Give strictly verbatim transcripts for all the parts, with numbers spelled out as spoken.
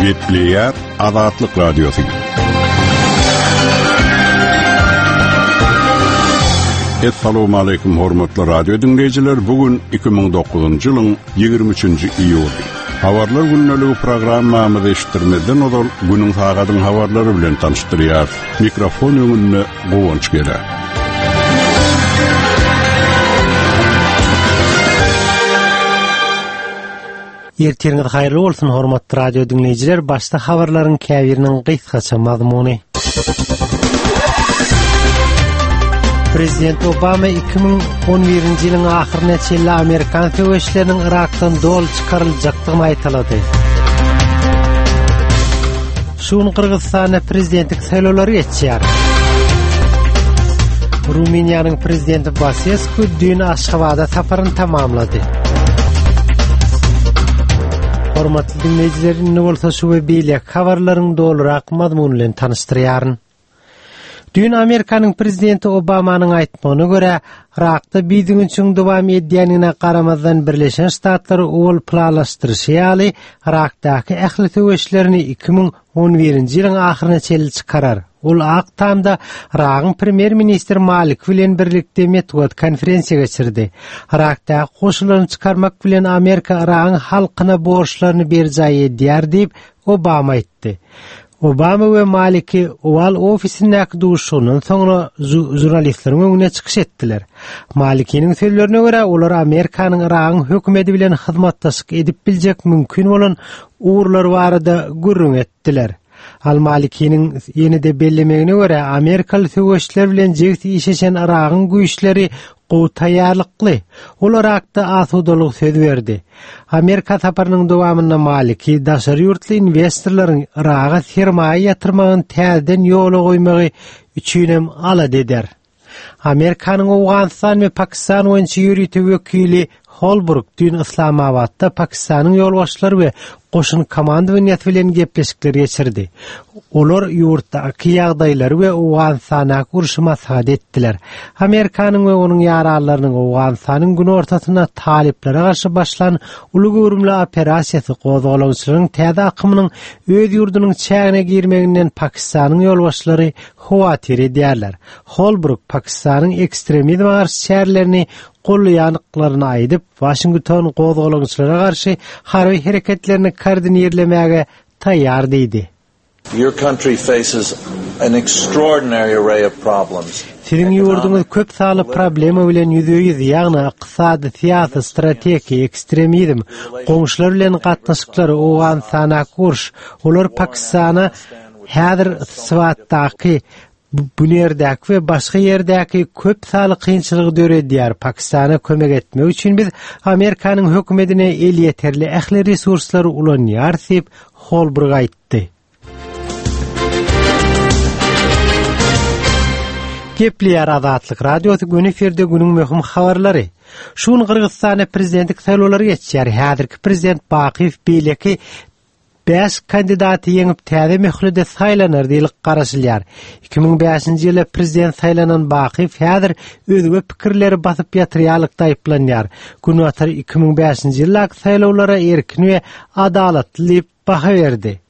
Gepleýär Azatlyk Radiosy. Essalamu aleýkum hormatly radio diňleýjiler. Bu gün iki müň dokuzynjy ýylyň ýigrimi üçünji iýuly. Habarlar gündeligi programmamyzy eşitdirmezden ozal günüň sagadyň habarlary bilen tanyşdyrýar. Mikrofon öňünde Guwanç Gele. Ertiriňiz haýyrly bolsun hormatly radio diňleýjiler. Başda habarlaryň käbiriniň gysgaça mazmuny. Prezident Obama iki müň on birinji ýylyň ahyryna çenli Amerikan söweşleriniň Irakdan doly çykaryljakdygyny aýtalady. Şu gün Gyrgyzystanda prezidentlik saýlawlary geçýär. Rumyniýanyň prezidenti Basescu düýn Aşgabada saparyny tamamlady. Hormatly diňleýjiler, indi bolsa şu we beýleki habarlaryň dolurak mazmuny bilen tanyşdyrýaryn. Düýn Amerikanyň prezidenti Obamanyň aýtmagyna görä, Irakda bidügünçiň dowam edýänine garamazdan Birleşen Ştatlar owal planlaşdyryşy ýaly Irakdaky ähli söweşlerini iki müň on birinji ýylyň ahyryna çenli çykarar. Ol Ak Tamda Iragyň premýer-ministri Malik bilen birlikde metbugat konferensiýa geçirdi. Irakdaky goşunlaryny çykarmak bilen Amerika Iragyň halkyna borçlaryny berjaý edýär diýip Obama aýtdy. Obama we Maliki Oval ofisindäki duşuşygyndan soňra žurnalistleriň öňüne çykyş etdiler. Malikiniň sözlerine görä, olar Amerikanyň Iragyň hökümeti bilen hyzmatdaşlyk edip biljek mümkin bolan ugurlar barada gürrüň etdiler. Al-Malikiniň ýene-de bellemegine görä, Amerikaly söweşçiler bilen jigit işleşen Iragyň güýçleri gowy taýýarlykly. Ol Irakda asudalyk söz berdi. Amerika saparynyň dowamynda Maliki daşary ýurtly investorlaryň Iraga sermaýa ýatyrmagyny täzeden ýola goýmagy üçinem alada eder. Amerikanyň Owganystan we Pakistan boýunça ýörite wekili Holbruk düýn Islamabadda Pakistanyň ýolbaşçylary we goşun komandowaniýasy bilen gepleşikler geçirdi. Olar ýurtdaky ýagdaýlary we Owganystandaky urşy maslahat etdiler. Amerikanyň we onuň ýaranlarynyň Owganystanyň günortasynda talyplara garşy başlan uly göwrümli operasiýasy gozgalaňçylaryň täze akymynyň öz ýurdunyň çägine girmeginden Pakistanyň ýolbaşçylary howatyr edýärler. Holbruk Pakistanyň ekstremizme garşy çärelerini golýanlyklaryny aýdyp, Washington gozgalaňçylara garşy harby hereketlerini koordinirlemäge taýýar diýdi. Your country faces an extraordinary array of problems. Siziň ýurduňyz köp sanly problema bilen ýüzbe-ýüz, ýagny ykdysady, syýasy, strategik, ekstremizm, goňşular bilen gatnaşyklar, Owganystana uruş, olar Pakistana häzir Svatdaky, Bunerdäki we başga ýerdäki köp sanly kynçylygy döredýär. Pakistana kömek etmek üçin biz Amerikanyň hökümetine elýeterli ähli resurslary ulanýarys diýip Holbruk aýtdy. Gepleýär Azatlyk Radiosy gün efirde günüň möhüm habarlary. Şu gün Gyrgyzystanda prezidentlik saýlawlary geçýär. Häzirki prezident Bakyýew beýleki bäş kandidaty ýeňip täze möhlede saýlanar diýilip garaşylýar. Iki müň bäşinji ýylda prezident saýlanan Bakyýew häzir özge pikirleri basyp ýatyrýarlykda aýyplanýar. Günbatar iki müň bäşinji ýyldaky saýlawlara erkin we adalatly diýip baha berdi.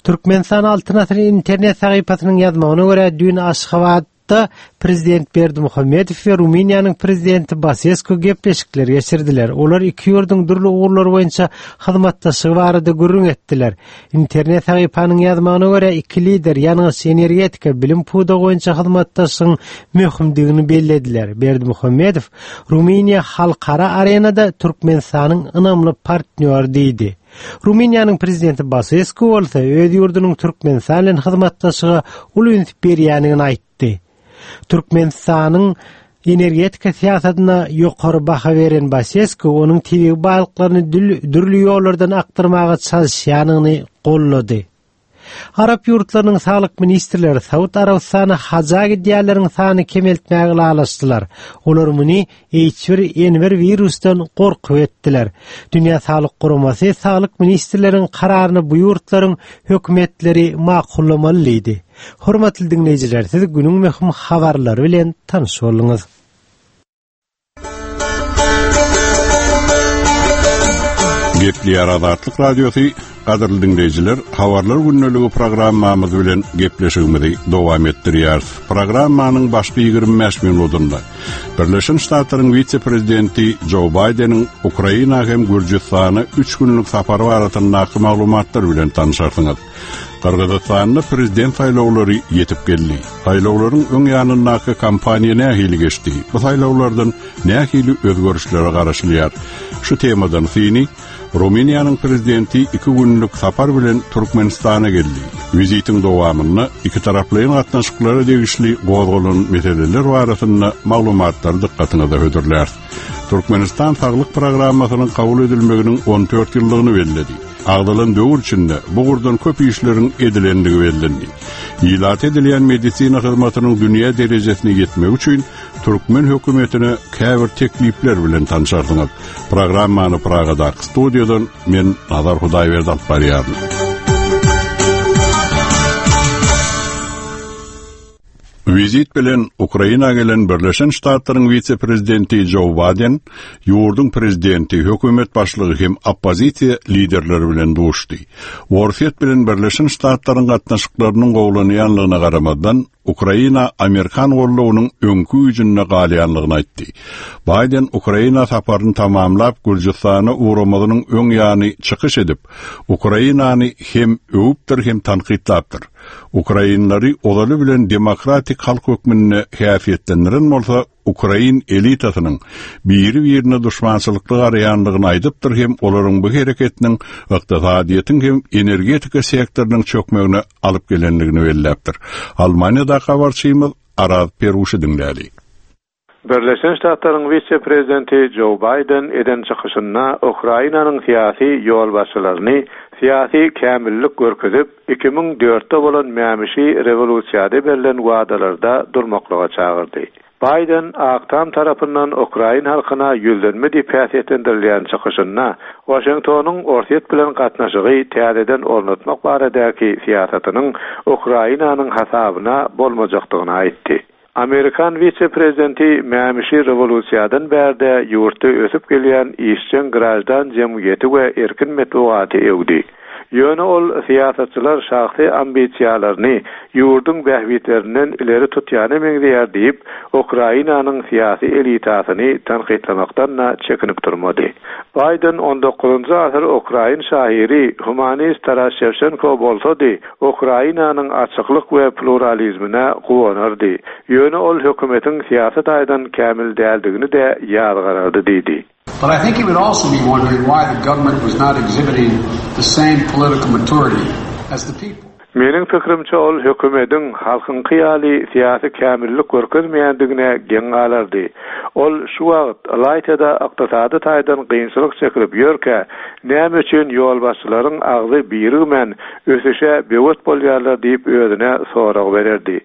Türkmenistan Altyn Asyr internet sahypasynyň ýazmagyna görä düýn Aşgabatda prezident Berdimuhamedow we Rumyniýanyň prezidenti Basescu gepleşikler geçirdiler. Olar iki ýurduň dürli ugurlar boýunça hyzmatdaşlygy barada gürrüň etdiler. Internet sahypanyň ýazmagyna görä iki lider ýangyç, energetika, bilim pudagy boýunça hyzmatdaşlygyň möhümdigini bellediler. Berdimuhamedow Rumyniýa halkara arenada Türkmenistanyň ynamly partnýory diýdi. Rumyniýanyň prezidenti Basescu bolsa öz ýurdunyň Türkmenistan bilen hyzmatdaşlyga uly üns berýändigini aýtdy. Türkmenistanyň energetika syýasatyna ýokary baha beren Basescu onuň tebigy baýlyklaryny dül-, dürli ýollardan akdyrmaga çalyşýanyny gollady. Arap ýurtlarynyň saglyk ministrleri Saud Arabystana haja gidýänleriň sanyny kemeltmäge ylalaşdylar. Olar muny H bir N bir virusdan gorkup etdiler. Dünýä Saglyk Guramasy saglyk ministrleriniň kararyny bu ýurtlaryň hökümetleri makullamaly diýdi. Hormatly diňleýjiler, siz günüň möhüm habarlary bilen tanyş bolduňyz. Gepleýär Azatlyk Radiosy, Gadyrly dinleýjiler, Habarlar gündeligi programmamyz bilen gepleşigimizi dowam etdirýäris. Programmanyň başky ýigrimi bäş minutynda Birleşen Ştatlaryň wise-prezidenti Joe Biden'iň Ukraina hem Gürjüstana üç günlük sapary barasyndaky maglumatlar bilen tanışarsyňyz. Gyrgyzystanda prezident saýlawlary ýetip geldi. Saýlawlaryň öň ýanyndaky kampaniýa nähili geçdi? Bu saýlawlardan nähili özgerişlere garaşylýar? Şu temadan syny Rumyniýanyň prezidenti iki günlük sapar bilen Türkmenistana geldi. Wizitiň dowamynda iki taraplaýyn gatnaşyklara degişli gozgalan meseleler barasynda maglumatlary dykgatyňyza hödürler. Türkmenistan saglyk programmasynyň kabul edilmeginiň on dört ýyllygyny belledi. Agdalan döwür içinde bu gurdan köp işleriň edilendigi bellendi. Ilat edilýän medisina hyzmatynyň dünýä derejesine ýetmegi üçin Türkmen hökümetine käbir teklipler bilen tanışarsyňyz. Programmany Pragadaky studiýadan men Nazar Hudaýberdi alyp barýaryn. Wizit bilen Ukraina gelen Birleşen Ştatlaryň wise-prezidenti Joe Biden, ýurduň prezidenti, hökümet başlygy hem oppozisiýa liderleri bilen duşdy. Orsýet bilen Birleşen Ştatlaryň gatnaşyklarynyň gowlanýanlygyna garamazdan, Ukraina Amerikan gollugynyň öňkü güýjünde galýanlygyny aýtdy. Biden Ukraina saparyny tamamlap Gürjüstana ugramazynyň öň ýany çykyş edip, Ukrainany hem öwüpdir hem tankytlapdyr. Ukrainlary ozaly bilen demokratik halk hökmünde häsiýetlendiren bolsa, Ukrain elitasynyň biri-birine duşmançylykly garaýanlygyny aýdypdyr hem olaryň bu hereketiniň ykdysadyýetiň hem energetika sektorynyň çökmegine alyp gelenligini belläpdir. Almaniýada habarçymyz Araz Peruşy diňläli. Birleşen Ştatlaryň wise-prezidenti Joe Biden eden çykyşynda Ukrainanyň syýasy ýolbaşçylaryny syýasy kämillik görkezip, iki müň dörtde bolan mämişi rewolýusiýada berlen wadalarda durmaklyga çagyrdy. Biden Ak Tam tarapyndan Ukrain halkyna ýüzlenme diýip häsiýetlendirilýän çykyşynda Washingtonyň Orsýet bilen gatnaşygy täzeden ornatmak baradaky syýasatynyň Ukrainanyň hasabyna bolmajakdygyny aýtdy. Amerikan wise-prezidenti mämişi rewolýusiýadan bärde ýurtda ösüp gelýän işjeň grajdan jemgyýeti we erkin metbugaty öwdi. Ýöne ol syýasatçylar şahsy ambisiýalaryny ýurduň bähbitlerinden ileri tutýana meňzeýär diýip, Ukrainanyň syýasy elitasyny tankytlamakdan da çekinip durmady. Biden on dokuzynjy asyr Ukrain şahyry humanist Taras Şewçenko bolsady, Ukrainanyň açyklyk we pluralizmine guwanardy. Ýöne ol hökümetiň syýasy taýdan kämil däldigini de ýazgarardy diýdi. But I think he would also be wondering why the government was not exhibiting the same political maturity as the people. Meniň pikrimçe ol hökümetiň halkyňky ýaly syýasy kämillik görkezmeýändigine geň galardy. Ol şu wagt Ylaýtada ykdysady taýdan kynçylyk çekilip ýörkä, näme üçin ýolbaşçylaryň agzy birigmän ösüşe bewet bolýarlar diýip özüne sorag bererdi.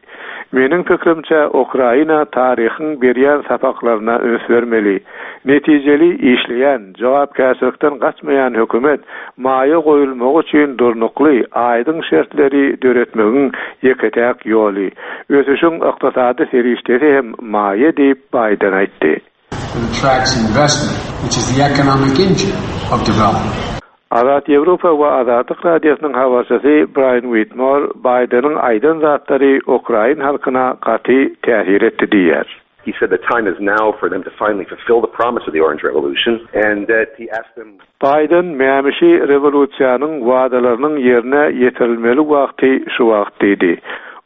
Meniň pikrimçe Ukraina taryhyň berýän sapaklaryna üns bermeli. Netijeli işleýän, jogapkärçilikden gaçmaýan hökümet maýa goýulmagy üçin durnukly, aýdyň şertleri döretmegiň ýeke-täk ýoly. Ösüşiň ykdysady serişdesi hem maýa diýip Biden aýtdy. That attracts investment, which is the economic engine of development. Azat Ýewropa we Azatlyk Radiosynyň habarçysy Brian Whitmore Biden'iň aýdan zatlary Ukrain halkyna gaty täsir etdi diýär. He said the time is now for them to finally fulfill the promise of the Orange Revolution, and that he asked them Biden mämişi rewolýusiýanyň wadalarynyň ýerine ýetirilmeli wagty şu wagt diýdi.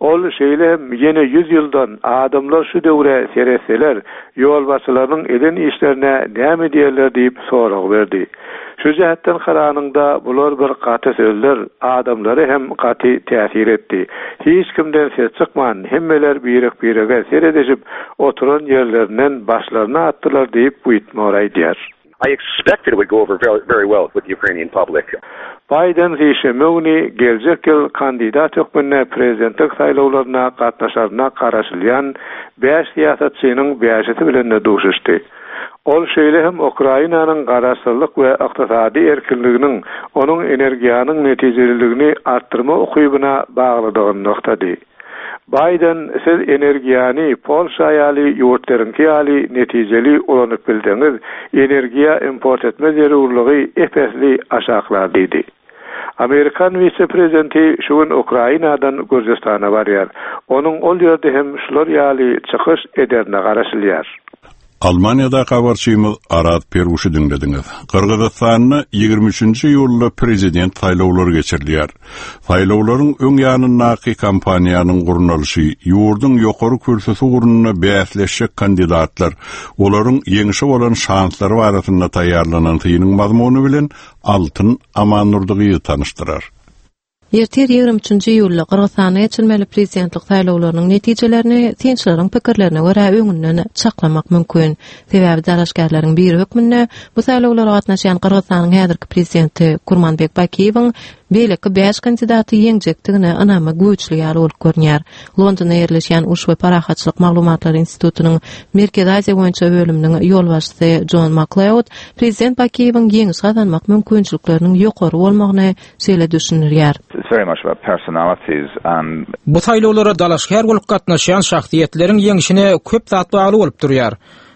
Ol şeýle hem ýene ýüz ýyldan adamlar şu döwre seretseler, ýolbaşçylarynyň eden işlerine näme diýerler diýip sorag berdi. Şu jähetden karanyňda bular bir gaty sözler adamlary hem gaty täsir etdi. Hiç kimden ses çykman, hemmeler birek-birege seredişip oturan ýerlerinden başlaryny atdylar diýip Whitmore aýdýar. I expected it would go over very, very well with the Ukrainian public. Biden sişenbe güni geljek ýyl kandidat hökmünde prezidentlik saýlawlaryna gatnaşaryna garaşylýan bäş syýasatçynyň bäşisi bilen de duşuşdy. Ol şeýle hem Ukrainanyň garaşsyzlyk we ykdysady erkinliginiň onuň energiýanyň netijeliligini artdyrma ukybyna baglydygyny nygtady. Biden siz energiýany Polşa ýaly ýurtlaryňky ýaly netijeli ulanyp bilseňiz, energiýa import etme zerurlygy epesli aşaklar diýdi. Amerikan wise-prezidenti şu gün Ukrainadan Gürjüstana barýar. Onuň ol ýerde hem şular ýaly çykyş ederine garaşylýar. Almaniýada habarçymyz Arat Peruşy diňlediňiz. Gyrgyzystanda ýigrimi üçünji iýulda prezident saýlawlary geçirilýär. Saýlawlaryň öň ýanyndaky kampaniýanyň gurnalyşy, ýurduň ýokary kürsüsi ugrunda bäsleşjek kandidatlar, olaryň ýeňşe bolan şanslary barasynda taýýarlanan synyň mazmuny bilen Altyn Amannurdygyny tanyşdyrar. Ertir ýigrimi üçünji iýulda Gyrgyzystanda geçirilmeli prezidentlik saýlawlarynyň netijelerini synçylaryň pikirlerine görä öňünden çaklamak mümkin. Sebäbi dalaşgärleriň biri hökmünde bu saýlawlara gatnaşýan Gyrgyzystanyň häzirki prezidenti Kurmanbek Bakiýewiň beýleki bäş kandidaty ýeňjekdigine ynamy güýçli ýaly bolup görünýär. Londonda ýerleşýän Uruş we Parahatçylyk Maglumatlary Institutynyň Merkezi Aziýa boýunça bölüminiň ýolbaşçysy John MacLeod prezident Bakiýewiň ýeňiş gazanmak mümkinçilikleriniň ýokary bolmagyny şeýle düşündirýär. It's very much about personalities and Bu saýlawlara dalaşgär bolup gatnaşýan şahsyýetleriň ýeňşine köp zat bagly bolup durýar.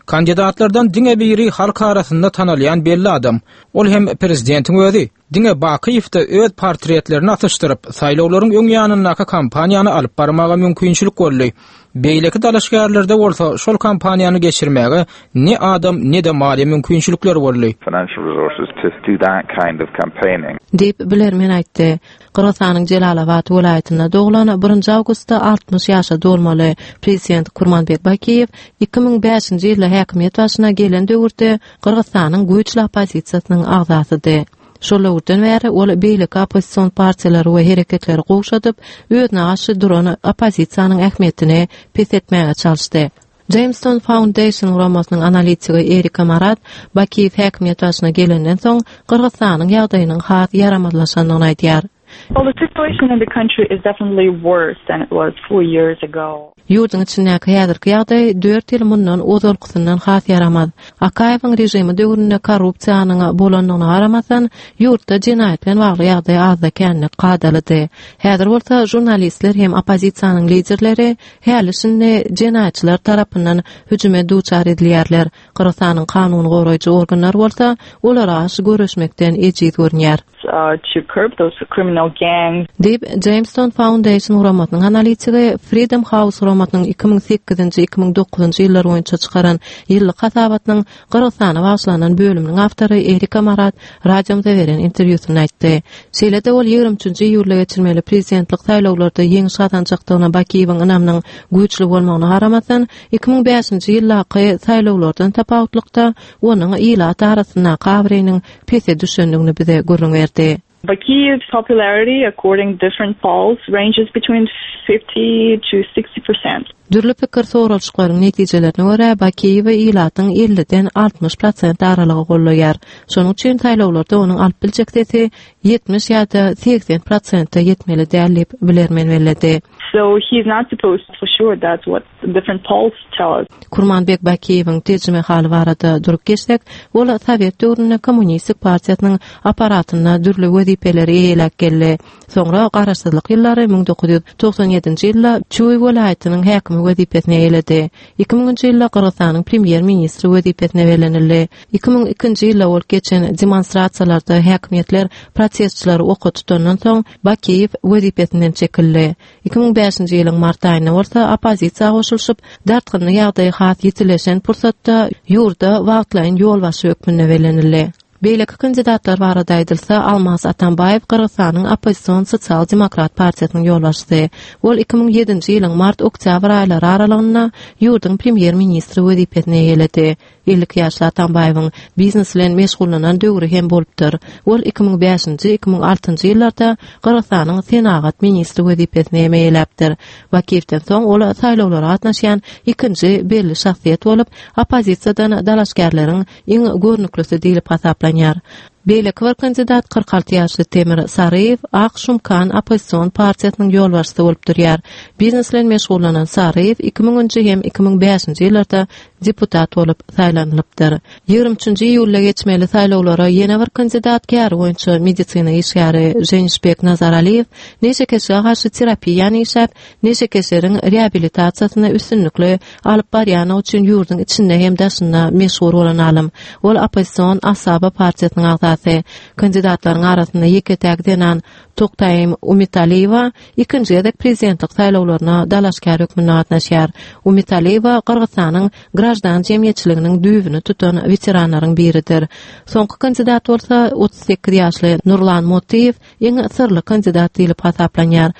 Kandidatlardan diňe biri halk arasynda tanalýan belli adam. Ol hem prezidentiň özi. Diňe Bakiýewde öz portretlerini asyşdyryp, saýlawlaryň öň ýanyndaky kampaniýany alyp barmaga mümkinçilik boldy. Beýleki dalaşgärlerde bolsa şol kampaniýany geçirmäge ne adam ne-de maliýe mümkinçilikleri boldy. financial resources to do that kind of campaigning. Diýip bilermen aýtdy. Gyrgyzystanyň Jelalabat welaýatynda doglan birinji awgustda altmyş ýaşa dolmaly prezident Kurmanbek Bakiýew iki müň bäşinji ýylda häkimiýet başyna gelen döwürde Gyrgyzystanyň güýçli oppozisiýasynyň agzasydy. Şol döwürden bäri ol beýleki oppozision partiýalary we hereketleri gowşadyp, özüne garşy duran oppozisiýanyň ähmiýetini pes etmäge çalyşdy. Jamestown Foundation guramasynyň analitigi Erika Marat Bakiýew häkimiýet başyna gelenden soň Gyrgyzystanyň ýagdaýynyň has ýaramazlaşandygyny aýdýar. Well, the situation in the country is definitely worse than it was four years ago. Ýurduň içindäki häzirki ýagdaý dört ýyl mundan ozalkysyndan has ýaramaz. Akaýewiň režimi döwründe korrupsiýanyň bolandygyna garamazdan, ýurtda jenaýat bilen bagly ýagdaý azda känlik kadalydy. Häzir bolsa žurnalistler hem oppozisiýanyň liderleri häli şindi jenaýatçylar tarapyndan hüjüme duçar edilýärler. Gyrgyzystanyň kanun goraýjy organlary bolsa olara garşy göreşmekden ejiz görünýär. Uh, to curb those criminal gangs. Diýip Jamestown Foundation guramasynyň analitigi Freedom House guramasynyň iki müň sekizinji, iki müň dokuzynjy ýyllar boýunça çykaran ýyllyk hasabatynyň Gyrgyzystana bagyşlanan bölüminiň awtory Erika Marat radiomyza beren interwýusynda aýtdy. Şeýle-de ol ýigrimi üçünji iýulda geçirmeli prezidentlik saýlawlarda ýeňiş gazanjakdygyna Bakiýewiň ynamynyň güýçli bolmagyna garamazdan, iki müň bäşinji ýyldaky saýlawlardan tapawutlykda onuň ilat arasyndaky abraýynyň pese düşendigini bize gürrüň berdi. Bakiyev's popularity, according to different polls, ranges between fifty to sixty percent. Dürli pikir soralyşyklaryň netijelerine görä Bakiýewi ilatyň elliden altmyş prosent aralygy gollaýar. Şonuň üçin saýlawlarda onuň alyp biljek sesi ýetmiş ýa-da segsen prosente ýetmeli däl diýip bilermen belledi. So he's not supposed to, for sure, that's what different polls tell us. Kurmanbek Bakiýewiň terjime haly barada durup geçsek, ol Sowet döwründe Kommunistik partiýasynyň aparatynda dürli wezipeleri eýeläp geldi. Soňra garaşsyzlyk ýyllary müň dokuz ýüz togsan ýedinji ýylda Çuý welaýatynyň häkimi wezipesine eýeledi. Iki müňünji ýylda Gyrgyzystanyň premýer-ministri wezipesine bellenildi. Iki müň ikinji ýylda bolup geçen demonstrasiýalarda häkimiýetler protestçileri oka tutandan soň Bakiýew wezipesinden çekildi. Iki müň bäşinji ýylyň mart aýynda bolsa oppozisiýa goşulyşyp, dartgynly ýagdaý has ýitileşen pursatda ýurda wagtlaýyn ýolbaşçy hökmünde bellenildi. Beýleki kandidatlar barada aýdylsa, Almaz Atambaýew Gyrgyzystanyň oppozision sosial-demokrat partiýasynyň ýolbaşçysy. Ol iki müň ýedinji ýylyň mart-oktýabr aýlary aralygynda ýurduň premýer-ministri wezipesine eýeledi. Elli iki ýaşly Atambaýewiň biznes bilen meşgullanan döwri hem bolupdyr. Ol iki müň bäşinji, iki müň altynjy ýyllarda Gyrgyzystanyň senagat ministri wezipesine hem eýeläpdir. Bakiýewden soň ol saýlawlara gatnaşýan ikinji belli şahsyýet bolup, oppozisiýadan dalaşgärleriň iň görnüklisi diýlip hasaplanýar. Beýleki bir kandidat kyrk alty ýaşly Temir Saryýew Ak Şumkan oppozision partiýasynyň ýolbaşçysy bolup durýar. Biznes bilen meşgullanan Saryýew iki müňünji hem iki müň bäşinji ýyllarda deputat bolup saýlanylypdyr. Ýigrimi üçünji iýulda geçmeli saýlawlara ýene bir kandidat käri boýunça medisina işgäri Ženişbek Nazaraliýew neşekeşlige garşy terapiýany işläp, neşekeşleriň reabilitasiýasyny üstünlikli alyp barýany üçin ýurduň içinde hem daşynda meşhur bolan alym. Ol oppozision Asaba partiýasynyň agzasy. agzasy. Kandidatlaryň arasynda ýeke-täk zenan Toktaýym Umitaliýewa ikinji gezek prezidentlik saýlawlaryna dalaşgär hökmünde gatnaşýar. Umitaliýewa Gyrgyzystanyň graždan jemgyýetçiliginiň düýbüni tutan weteranlaryň biridir. Soňky kandidat bolsa otuz sekiz ýaşly Nurlan Motiýew iň syrly kandidat diýlip hasaplanýar.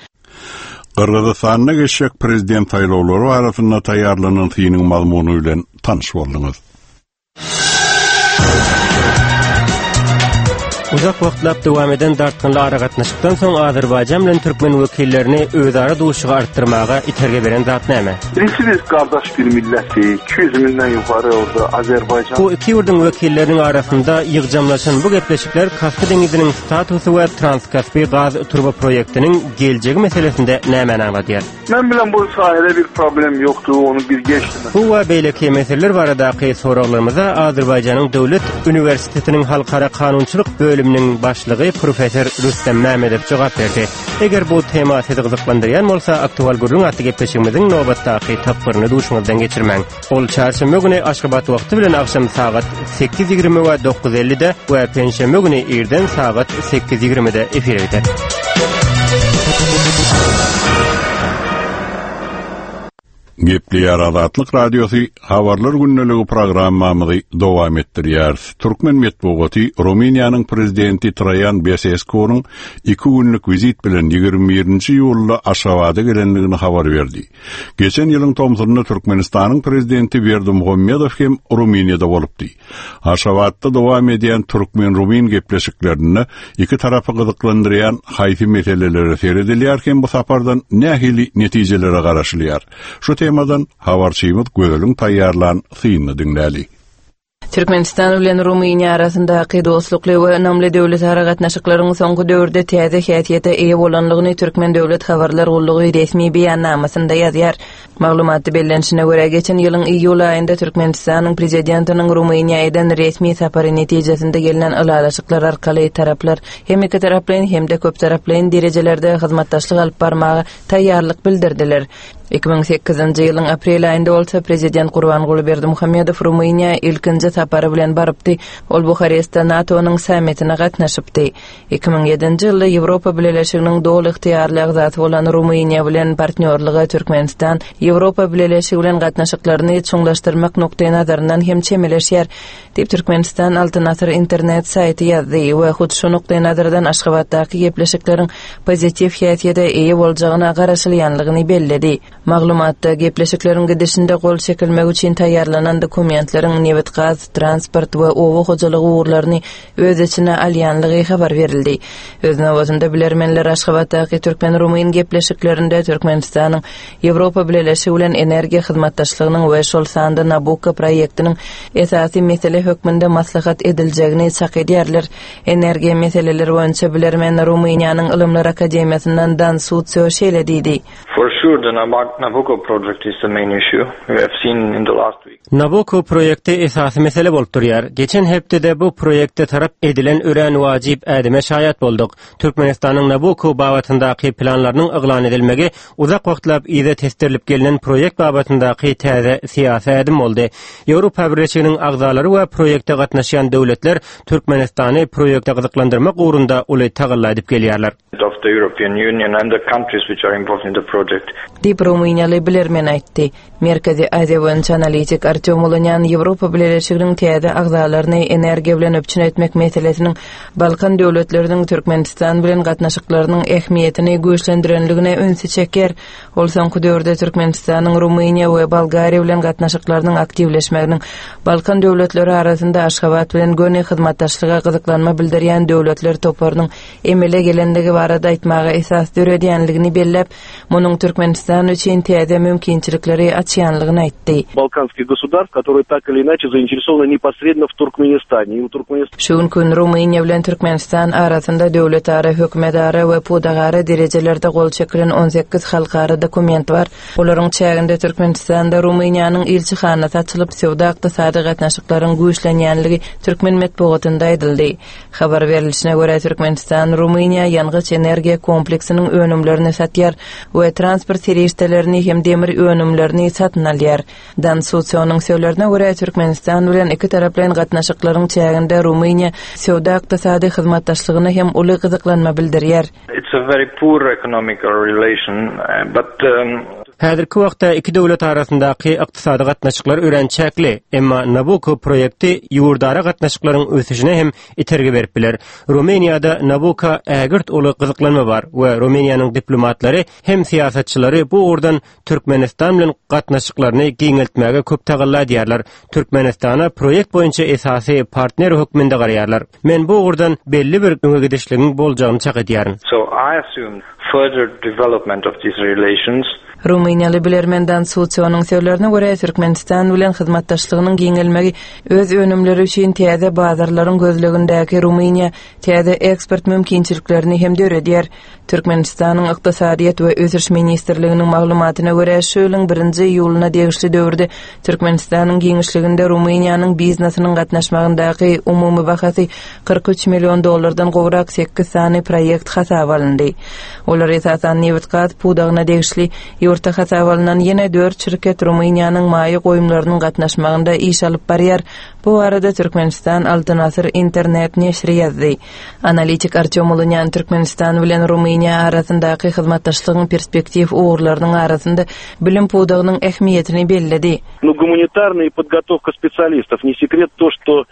Gyrgyzystanda geçjek prezident saýlawlary arasynda taýýarlanan synyň mazmuny bilen tanyş bolduňyz. Uzak wagtlap dowam eden dartgynly aragatnaşykdan soň Azerbaýjan bilen türkmen wekillerini özara duşugy artdyrmaga itergi beren zat näme? Birincisi biz qardaş bir millətik, iki ýüz mindən yuxarı orada Azərbaycan. Bu iki ýurduň wekilleriniň arasynda ýygjamlaşan bu gepleşikler Kaspi deňiziniň statusy we Transkaspi gaz turba proýektiniň geljegi meselesinde nämäni aňladýar? Mən bilən bu sahədə bir problem yoxdur, onu bir geçdim. Bu we beýleki meseleler baradaky soraglarymyza Azerbaýjanyň Döwlet Universitetiniň Halkara Kanunçylyk bölüminiň başlygy professor Rüstem Mämmedow jogap berdi. Eger bu tema sizi gyzyklandyrýan bolsa, Aktual gürrüň atly gepleşigimiziň nobatdaky tapgyryny duşuňyzdan geçirmäň. Ol çarşenbe güni Aşgabat wagty bilen agşam sagat sekiz ýigrimi we dokuz ellide we penşenbe güni irden sagat sekiz ýigrimide efire gider. Gepleýär Azatlyk Radiosy habarlar gündeligi programmamyzy dowam etdirýär. Türkmen metbugaty Rumyniýanyň prezidenti Traýan Beseskunyň iki günlük wizit bilen ýigrimi birinji iýulda Aşgabada gelendigini habar berdi. Geçen ýylyň tomsunda Türkmenistanyň prezidenti Berdimuhamedow hem Rumyniýada bolupdy. Aşgabatda dowam edýän türkmen-rumin gepleşiklerinde iki tarapy gyzyklandyrýan haýsy meselelere seredilýär hem bu sapardan nähili netijelere garaşylýar? Şu temadan habarçymyz Gözeliň taýýarlan synyny diňläli. Türkmenistan bilen Rumyniýa arasyndaky dostlukly we ynamly döwletara gatnaşyklaryň soňky döwürde täze häsiýete eýe bolanlygyny Türkmen Döwlet Habarlar Gullugy resmi beýannamasynda ýazýar. Maglumatda bellenişine görä, geçen ýylyň iýul aýynda Türkmenistanyň prezidentiniň Rumyniýa eden resmi sapary netijesinde gelnen ylalaşyklar arkaly taraplar hem iki taraplaýyn hem-de köp taraplaýyn derejelerde hyzmatdaşlyk alyp barmaga taýýarlyk bildirdiler. Iki müň sekizinji ýylyň aprel aýynda bolsa prezident Gurbanguly Berdimuhamedow Rumyniýa ilkinji sapary bilen barypdy. Ol Buharestde NATO-nyň sammitine gatnaşypdy. Iki müň ýedinji ýylda Ýewropa Bileleşiginiň doly ygtyýarly agzasy bolan Rumyniýa bilen partnýorlyga Türkmenistan Ýewropa Bileleşigi bilen gatnaşyklaryny çuňlaşdyrmak nukdaý nazaryndan hem çemeleşýär, diýip Türkmenistan Altyn Asyr internet saýty ýazdy we hut şu nukdaý nazardan Aşgabatdaky gepleşikleriň pozitiw häsiýete eýe boljagyna garaşylýanlygyny belledi. Maglumatda gepleşikleriň gidişinde gol çekilmek üçin taýýarlanan dokumentleriň nebit, gaz, transport we oba hojalygy ugurlaryny öz içine alýanlygy habar berildi. Öz nobatynda bilermenler Aşgabatdaky türkmen-rumyn gepleşiklerinde Türkmenistanyň Ýewropa Bileleşigi bilen energiýa hyzmatdaşlygynyň we şol sanda Nabucco proýektiniň esasy mesele hökmünde maslahat ediljegini çak edýärler. Energiýa meseleleri boýunça bilermen Rumyniýanyň Ylymlar Akademiýasyndan Dan Sutsio şeýle diýdi. For sure the Nabucco project is the main issue we have seen in the last week. Nabucco proýekti esasy mesele bolup durýar. Geçen hepdede bu proýekte tarap edilen örän wajyp ädime şaýat bolduk. Türkmenistanyň Nabucco babatyndaky planlarynyň yglan edilmegi uzak wagtlap yza tesdirilip gelinen proýekt babatyndaky täze syýasy ädim boldy. Ýewropa Birleşiginiň agzalary we proýekte gatnaşýan döwletler Türkmenistany proýekte gyzyklandyrmak ugrunda uly tagalla edip gelýärler. Of the European Union and the countries which are involved in the project. Diýip Rumyniýaly bilermen aýtdy. Merkezi Aziýa boýunça analitik Artyom Ulunýan Ýewropa Bileleşiginiň täze agzalaryny energiýa bilen üpjün etmek meselesiniň Balkan döwletleriniň Türkmenistan bilen gatnaşyklarynyň ähmiýetini güýçlendirenligine ünsi çeker. Ol soňky döwürde Türkmenistanyň Rumyniýa we Bolgariýa bilen gatnaşyklarynyň aktiwleşmeginiň Balkan döwletleri arasynda Aşgabat bilen göni hyzmatdaşlyga gyzyklanma bildirýän döwletler toparynyň emele gelenligi barada aýtmaga esas döredýänligini belläp, munuň Türkmenistan üçin täze mümkinçilikleri açýanlygyny aýtdy. Балканских государств, которые так или иначе заинтересованы непосредственно в Туркменистане. И у Туркменистана Şu gün Rumyniýa bilen Türkmenistan arasynda döwletara, hökümetara we pudagara derejelerde gol çekilen on sekiz halkara dokument bar. Olaryň çäginde Türkmenistanda Rumyniýanyň ilçihanasy açylyp, söwda ykdysady gatnaşyklaryň güýçlenýänligi türkmen metbugatynda aýdyldy. Habar berilişine görä Türkmenistan Rumyniýa ýangyç energiýa kompleksiniň önümlerini satýar we transport serişdelerini serişdelerini hem demir önümlerini satyn alýar. Dan Susionyň sözlerine görä Türkmenistan bilen iki taraplaýyn gatnaşyklaryň çäginde Rumyniýa söwda ykdysady hyzmatdaşlygyna hem uly gyzyklanma bildirýär. It's a very poor economical relation, uh, but um, Häzirki wagtda iki döwlet arasyndaky ykdysady gatnaşyklar örän çäkli, emma Nabucco proýekti ýurdara gatnaşyklaryň ösüşine hem itergi berip biler. Rumyniýada Nabucco ägirt uly gyzyklanma bar we Rumyniýanyň diplomatlary hem syýasatçylary bu ugurdan Türkmenistan bilen gatnaşyklaryny giňeltmäge köp tagalla edýärler. Türkmenistana proýekt boýunça esasy partner hökmünde garaýarlar. Men bu ugurdan belli bir öňe gidişligiň boljagyny çak edýärin. so I assume further development of these relations. Rumyniýaly bilermen Dan Susionyň sözlerine görä Türkmenistan bilen hyzmatdaşlygynyň giňelmegi öz önümleri üçin täze bazarlaryň gözlegindäki Rumyniýa täze eksport mümkinçiliklerini hem döredýär. Türkmenistanyň Ykdysadyýet we Ösüş ministrliginiň maglumatyna görä şu ýylyň birinji iýulyna degişli döwürde Türkmenistanyň giňişliginde Rumyniýanyň biznesiniň gatnaşmagyndaky umumy bahasy kyrk üç million dollardan gowrak sekiz sany proýekt hasaba alyndy. Olar esasan nebit-gaz pudagyna degişli ýurtda hasaba alynan ýene dört şirket Rumyniýanyň maýa goýumlarynyň gatnaşmagynda iş alyp barýar. Bu arada Türkmenistan Altyn Asyr internet neşri ýazdy. Analitik Artyom Ulunyan Türkmenistan bilen Rumyniýa arasyndaky hyzmatdaşlygyň perspektiw ugurlarynyň arasynda bilim pudagynyň ähmiýetini belledi. Ну, гуманитарная подготовка специалистов. Не секрет то, что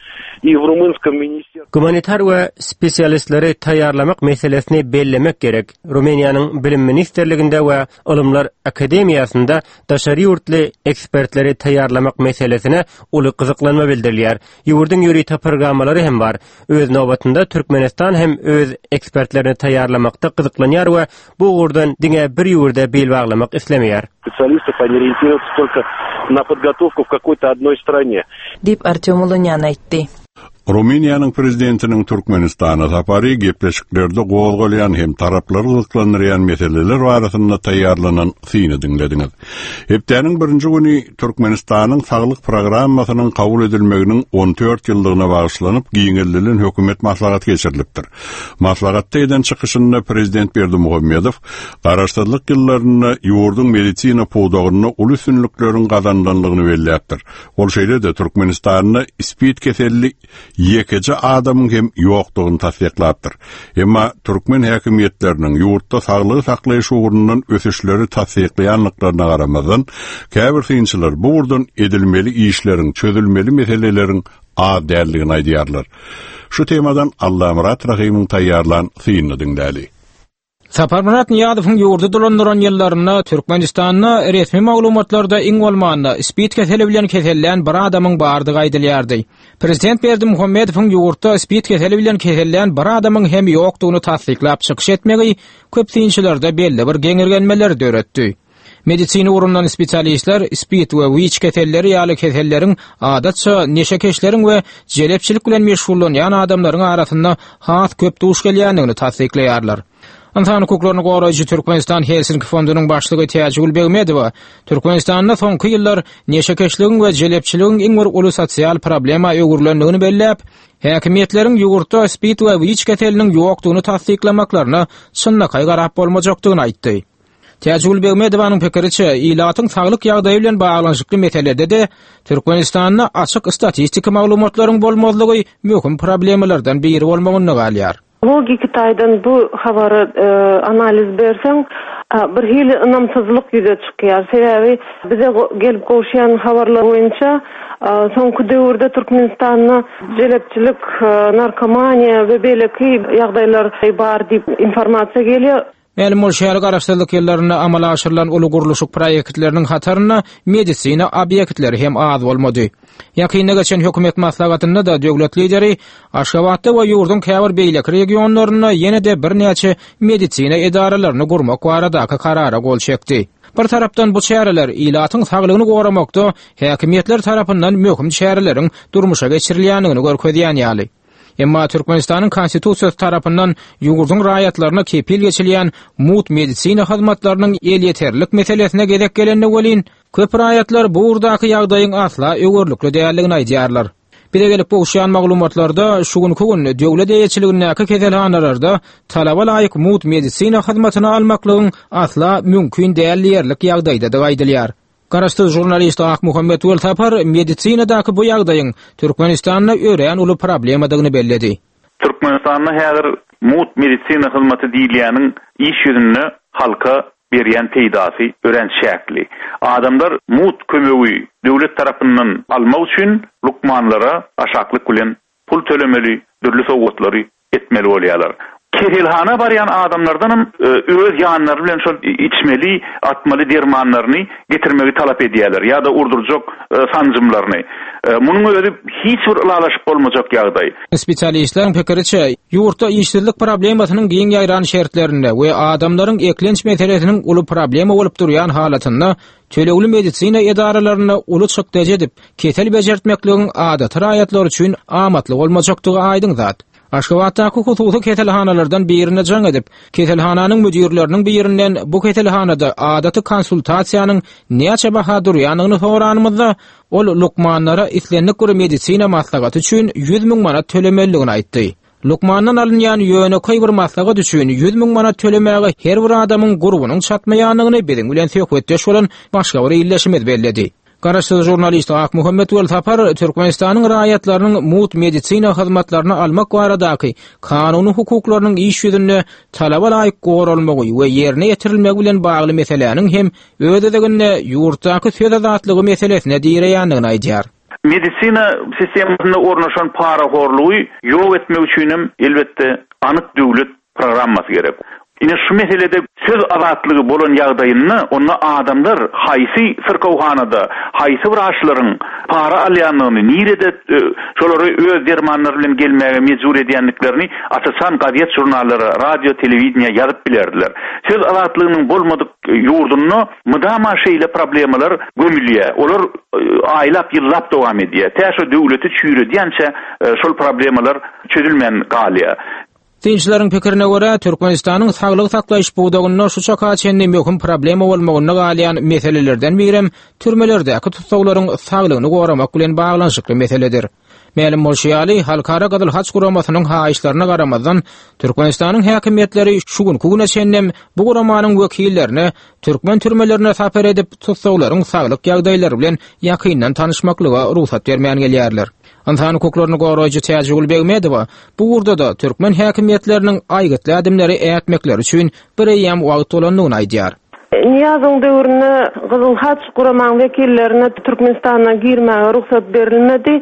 и в румынском министерстве Gumanitar we spesialistleri taýýarlamak meselesini bellemek gerek. Rumyniýanyň bilim ministrliginde we Ylymlar akademiýasynda daşary ýurtly ekspertleri taýýarlamak meselesine uly gyzyklanma bildirilýär. Ýurduň ýörite programmalary hem bar. Öz nobatynda Türkmenistan hem öz ekspertlerini taýýarlamakda gyzyklanýar we bu ugurdan diňe bir ýurda bil baglamak islemeýär. специалистов, они ориентируются только на подготовку в какой-то одной стране. Diýip Artyom Ulunyan aýtdy. Rumyniýanyň prezidentiniň Türkmenistana sapary gepleşiklerde gozgalýan hem taraplary gyzyklandyrýan meseleler barasynda taýýarlanan syny diňlediňiz. Hepdäniň birinji güni Türkmenistanyň saglyk programmasynyň kabul edilmeginiň on dört ýyllygyna bagyşlanyp giňeldilen hökümet maslahaty geçirilipdir. Maslahatda eden çykyşynda prezident Berdimuhamedow garaşsyzlyk ýyllarynda ýurduň medisina pudagynda uly üstünlikleriň gazanylandygyny belläpdir. Ol şeýle-de Türkmenistanda SPID keselli ýekeje adamyň hem ýokdugyny tassyklapdyr. Emma türkmen häkimiýetleriniň ýurtda saglygy saklaýyş ugrundan ösüşleri tassyklaýanlyklaryna garamazdan, käbir synçylar bu ugurdan edilmeli işleriň, çözülmeli meseleleriň az däldigini aýdýarlar. Şu temadan Allamyrat Rahymyň taýýarlan synyny diňläli. Saparmyrat Nyýazowyň ýurdy dolandyran ýyllarynda Türkmenistanda resmi maglumatlarda iň bolmanda SPID keseli bilen kesellän bir adamyň bardygy aýdylýardy. Prezident Berdimuhamedowyň ýurtda SPID keseli bilen kesellän bir adamyň hem ýokdugyny tassyklap çykyş etmegi köp synçylarda belli bir geňirgenmeleri döretdi. Medisina ugrundan spesialistler SPID we WIÇ keselleri ýaly keselleriň adatça neşekeşleriň we jelepçilik bilen meşgullanýan adamlaryň arasynda has köp duş gelýändigini tassyklaýarlar. Ynsan hukuklaryny goraýjy Türkmenistan Helsinki fondunyň başlygy Täjigül Begmedowa Türkmenistanda soňky ýyllar neşekeşligiň we jelepçiligiň iň bir uly sosial problema öwrülendigini belläp, häkimiýetleriň ýurtda SPID we WIÇ keseliniň ýokdugyny tassyklamaklaryna çynlakaý garap bolmajakdygyny aýtdy. Täjigül Begmedowanyň pikiriçe, ilatyň saglyk ýagdaýy bilen baglanyşykly meselede-de Türkmenistanda açyk statistik maglumatlaryň bolmazlygy möhüm problemalardan biri bolmagynda galýar. Logiki taýdan bu habary, e, analiz berseň, a, bir hili ynamsyzlyk ýüze çykýar. Sebäbi bize go-, gelip gowşan habarlar boýunça, a, soňky döwürde Türkmenistanda jelepçilik, a, narkomaniýa we beýleki ýagdaýlar bar diýip informasiýa gelýär. Mälim bolşy ýaly garaşsyzlyk ýyllarynda amala aşyrylan uly gurluşyk proýektleriniň hatarynda medisina obýektleri hem az bolmady. Ýakynda geçen hökümet maslahatynda da döwlet lideri Aşgabatda we ýurduň käbir beýleki regionlarynda ýene-de birnäçe medisina edaralaryny gurmak baradaky karara gol çekdi. Bir tarapdan bu çäreler ilatyň saglygyny goramakda häkimiýetler tarapyndan möhüm çäreleriň durmuşa geçirilýändigini görkezýän ýaly. Emma Türkmenistanyň Konstitusiýasy tarapyndan ýurduň raýatlaryna kepil geçilýän mut medisina hyzmatlarynyň elýeterlik meselesine gezek gelende welin, köp raýatlar bu ugurdaky ýagdaýyň asla öwürlikli däldigini aýdýarlar. Bize gelip gowuşýan maglumatlarda şu günki gün döwlet eýeçiligindäki keselhanalarda talaba laýyk mugt medisina hyzmatyny almaklygyň asla mümkin däl diýerlik ýagdaýdadygy aýdylýar. Garaşsyz žurnalist Akmuhammet Welsapar medisinadaky bu ýagdaýyň Türkmenistanda örän uly problemadygyny belledi. Türkmenistanda häzir mugt medisina hyzmaty diýilýäniň iş ýüzünde halka berýän peýdasy örän çäkli. Adamlar mugt kömegi döwlet tarapyndan almak üçin lukmanlara aşaklyk bilen pul tölemeli, dürli sowgatlary etmeli bolýarlar. Keselhana barýan adamlardanam öz ýanlary bilen şol içmeli, atmaly dermanlaryny getirmegi talap edýärler ýa-da urdurjak sanjymlaryny. Munuň özi hiç bir ylalaşyp bolmajak ýagdaý. Spesialistleriň pikiriçe, ýurtda işsizlik problemasynyň giň ýaýran şertlerinde we adamlaryň eklenç meselesiniň uly problema bolup durýan halatynda tölegli medisina edaralarynda uly çykdajy edip, kesel bejertmekligiň adaty raýatlar üçin amatly bolmajakdygy aýdyň zat. Aşgabatdaky hususy keselhanalardan birine jaň edip, keselhananyň müdirleriniň birinden bu keselhanada adaty konsultasiýanyň näçe baha durýandygyny soranymyzda, ol lukmanlara islendik bir medisina maslahaty üçin ýüz müň manat tölemelidigini aýtdy. Lukmandan alynýan ýönekeý bir maslahat üçin ýüz müň manat tölemäge her bir adamyň gurbunyň çatmaýandygyny biziň bilen söhbetdeş bolan başga bir ildeşimiz belledi. Garaşsyz žurnalist Akmuhammet Welsapar Türkmenistanyň raýatlarynyň mugt medisina hyzmatlaryny almak baradaky kanuny hukuklarynyň iş ýüzünde talaba laýyk goralmagy we ýerine ýetirilmegi bilen bagly meseläniň hem öz özeginde ýurtdaky söz azatlygy meselesine direýändigini aýdýar. Medisina sistemasynda ornaşan parahorlugy ýok etmek üçin hem elbetde anyk döwlet programmasy gerek. Ine şu meselede söz azatlygy bolan ýagdaýynda onda adamlar haýsy syrkawhanada, haýsy wraçlaryň para alýandygyny, nirede şolary öz dermanlary bilen gelmäge mejbur edýändiklerini aç-açan gazet žurnallara, radio, telewideniýä ýazyp bilerdiler. Söz azatlygynyň bolmadyk ýurdunda mydama şeýle problemalar gömülýär. Olar aýlap, ýyllap dowam edýär. Tä şo döwleti çüýredýänçä şol problemalar çözülmän galýar. Synçylaryň pikirine görä, Türkmenistanyň saglyk saklaýyş pudagynda şu çaka çenli möhüm problema bolmagynda galýan meselelerden birem türmelerdäki tussaglaryň saglygyny goramak bilen baglanyşykly meseledir. Mälim bolşy ýaly, Halkara Gyzyl Haç guramasynyň haýyşlaryna garamazdan, Türkmenistanyň häkimiýetleri şu günki güne çenli bu guramanyň wekillerine türkmen türmelerine sapar edip, tussaglaryň saglyk ýagdaýlary bilen ýakyndan tanyşmaklyga rugsat bermän gelýärler. Ynsan hukuklaryny goraýjy Täjigül Begmedowa bu ugurda-da türkmen häkimiýetleriniň aýgytly ädimleri ätmekleri üçin bir eýýäm wagt bolandygyny aýdýar. Niýazyň döwründe Gyzyl Haç guramaň wekillerine Türkmenistana girmäge rugsat berilmedi.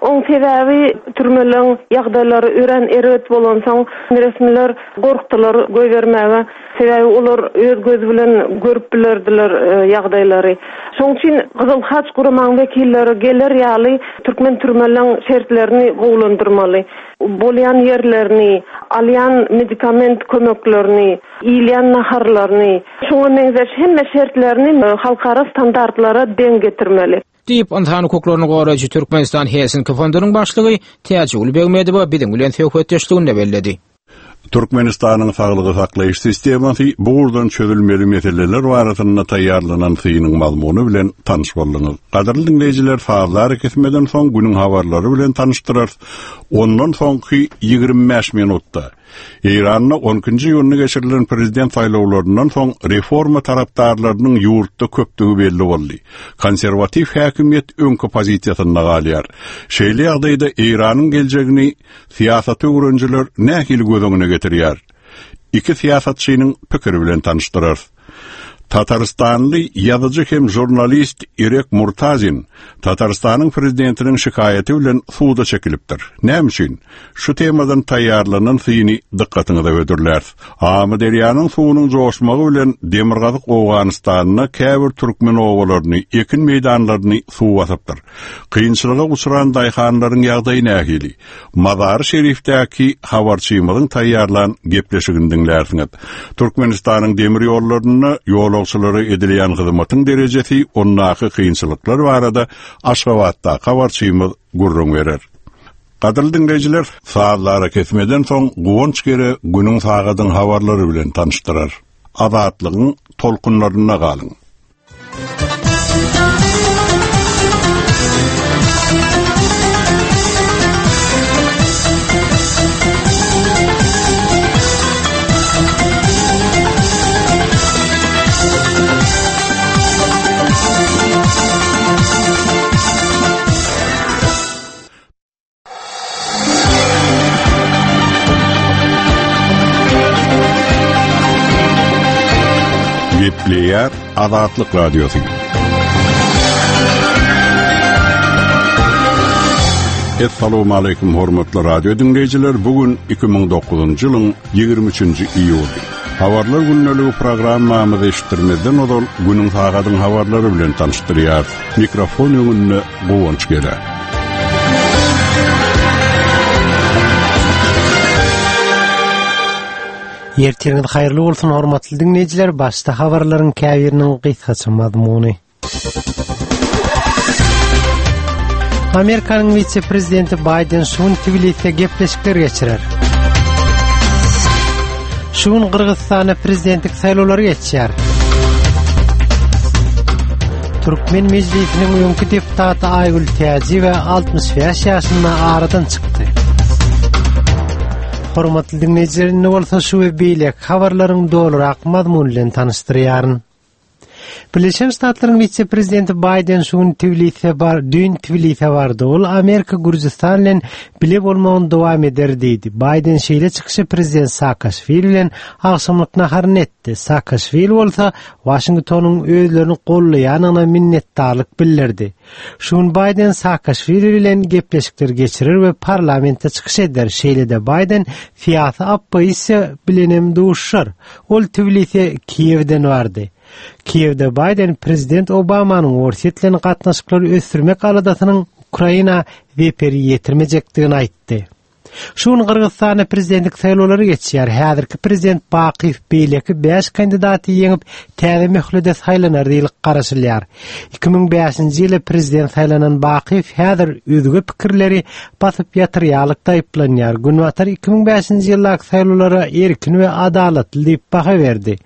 Oň sebäbi türmeleň ýagdaýlary örän erbet bolansoň resmiler gorkdular goýbermäge. Sebäbi olar öz gözi bilen görüp bilerdiler ýagdaýlary. Şoň üçin Gyzyl Haç guramaň wekilleri geler ýaly türkmen türmeleň şertlerini gowulandyrmaly. Bolýan ýerlerini, alýan medikament kömeklerini, iýilýän naharlaryny, şoňa meňzeş hemme şertlerini halkara standartlara deň getirmeli. Diýip, ynsan hukuklaryny goraýjy Türkmenistan Helsinki fondunyň başlygy Täjigül Begmedowa biziň bilen söhbetdeşliginde belledi. Türkmenistanyň saglygy saklaýyş sistemasy bu ugurdan çözülmeli meseleler barasynda taýýarlanan synyň mazmuny bilen tanyş bolduňyz. Gadyrly diňleýjiler, sazlar kesmeden soň günüň habarlary bilen tanyşdyrarys. Ondan soňky ýigrimi bäş minutda Eýranda on ikinji iýunda geçirilen prezident saýlawlaryndan soň reforma tarapdarlarynyň ýurtda köpdügi belli boldy. Konserwatiw häkimiýet öňki pozisiýasynda galýar. Şeýle ýagdaýda Eýranyň geljegini syýasaty öwrenijiler nähili göz öňüne getirýär? Iki syýasatçynyň pikiri bilen tanyşdyrarys. Tataristanly ýazyjy hem žurnalist Irek Murtazin Tataristanyň prezidentiniň şikaýaty bilen suda çekilipdir. Näme üçin? Şu temadan taýýarlanan syny dykgatyňyza hödürläris. Amyderýanyň suwunyň joşmagy bilen Demirgazyk Owganystanda käbir türkmen obalaryny, ekin meýdanlaryny suw basypdyr. Kynçylyga uçran daýhanlaryň ýagdaýy nähili? Mazary Şerifdäki habarçymyzyň taýýarlan gepleşigini diňlärsiňiz. Türkmenistanyň demir ýollarynda ýolagçylara edilýän hyzmatyň derejesi, ondaky kynçylyklar barada Aşgabatda habarçymyz gürrüň berer. Gadyrly diňleýjiler, sazlara kesmeden soň Guwanç Gere günüň sagadyň habarlary bilen tanyşdyrar. Azatlygyň tolkunlarynda galyň. Gepleýär Azatlyk Radiosy. Essalamu aleýkum hormatly radio diňleýjiler. Bu gün iki müň dokuzynjy ýylyň ýigrimi üçünji iýuly. Habarlar gündeligi programmamyzy eşitdirmezden ozal günüň sagadyň habarlary bilen tanyşdyrýar. Mikrofon öňünde Guwanç Gele. Ertiriňiz haýyrly bolsun hormatly diňleýjiler. Başda habarlaryň käbiriniň gysgaça mazmuny. Amerikanyň wise-prezidenti Biden şu gün Tbiliside gepleşikler geçirer. Şu gün Gyrgyzystanda prezidentlik saýlawlary geçýär. Türkmen mejlisiniň öňki deputaty Aýgül Täjiýewa altmyş bäş ýaşynda aradan çykdy. Hormatly diňleýjiler, indi bolsa şu we beýleki habarlaryň dolurak mazmuny bilen tanyşdyrýaryn. Birleşen Ştatlaryň wise-prezidenti Biden şu gün Tbiliside bar, düýn Tbiliside bardy. Ol Amerika Gürjüstan bilen bile bolmagyny dowam eder diýdi. Biden şeýle çykyşy prezident Saakaşwili bilen agşamlyk naharyny etdi. Saakaşwili bolsa Washingtonyň özlerini gollaýanyna minnetdarlyk bildirdi. Şu gün Biden Saakaşwili bilen gepleşikler geçirer we parlamentde çykyş eder. Şeýle-de Biden syýasy oppozisiýa bilenem duşar. Ol Tbiliside Kiýewden bardy. Kiýewde Biden prezident Obamanyň Orsýet bilen gatnaşyklary ösdürmek aladasynyň Ukraina zeperi ýetirmejekdigini aýtdy. Şu gün Gyrgyzystanda prezidentlik saýlawlary geçýär. Häzirki prezident Bakyýew beýleki bäş kandidaty ýeňip täze möhlede saýlanar diýilip garaşylýar. Iki müň bäşinji ýylda prezident saýlanan Bakyýew häzir özge pikirleri basyp ýatyrýarlykda aýyplanýar. Günbatar iki müň bäşinji ýyldaky saýlawlara erkin we adalatly diýip baha berdi.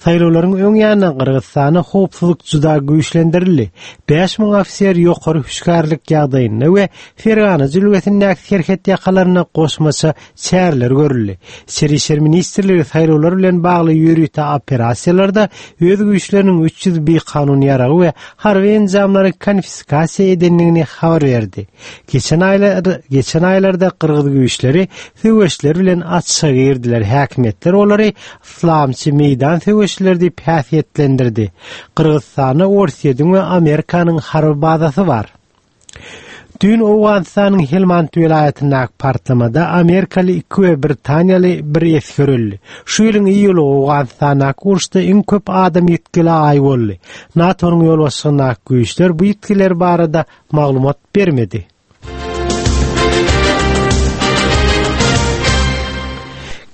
Saýlawlaryň öň ýanyna Gyrgyzystanda howpsuzlyk juda güýçlendirildi. Bäş müň ofiser ýokary hüşgärlik ýagdaýynda we Fergana jülgesindäki serhet ýakalaryna goşmaça çäreler görüldi. İçeri İşler Ministrligi saýlawlar bilen bagly ýörite operasiýalarda öz güýçleriniň üç ýüz bikanun ýaragy we harby enjamlary konfiskasiýa edendigini habar berdi. Geçen aýlar, geçen aýlarda Gyrgyz güýçleri söweşler bilen açyğa girdiler. Häkimiýetler olary Islamçy meýdan söweşleri diýip häsiýetlendirdi. Gyrgyzystanda Orsýetiň we Amerikanyň harby bazasy bar. Düýn Owganystanyň Helmand welaýatyndaky partlamada Amerikaly iki we Britaniýaly bir esger öldi. Şu ýylyň iýuly Owganystandaky uruşda iň köp adam ýitgili aý boldy. NATO-nyň ýolbaşçylygyndaky güýçler bu ýitgiler barada maglumat bermedi.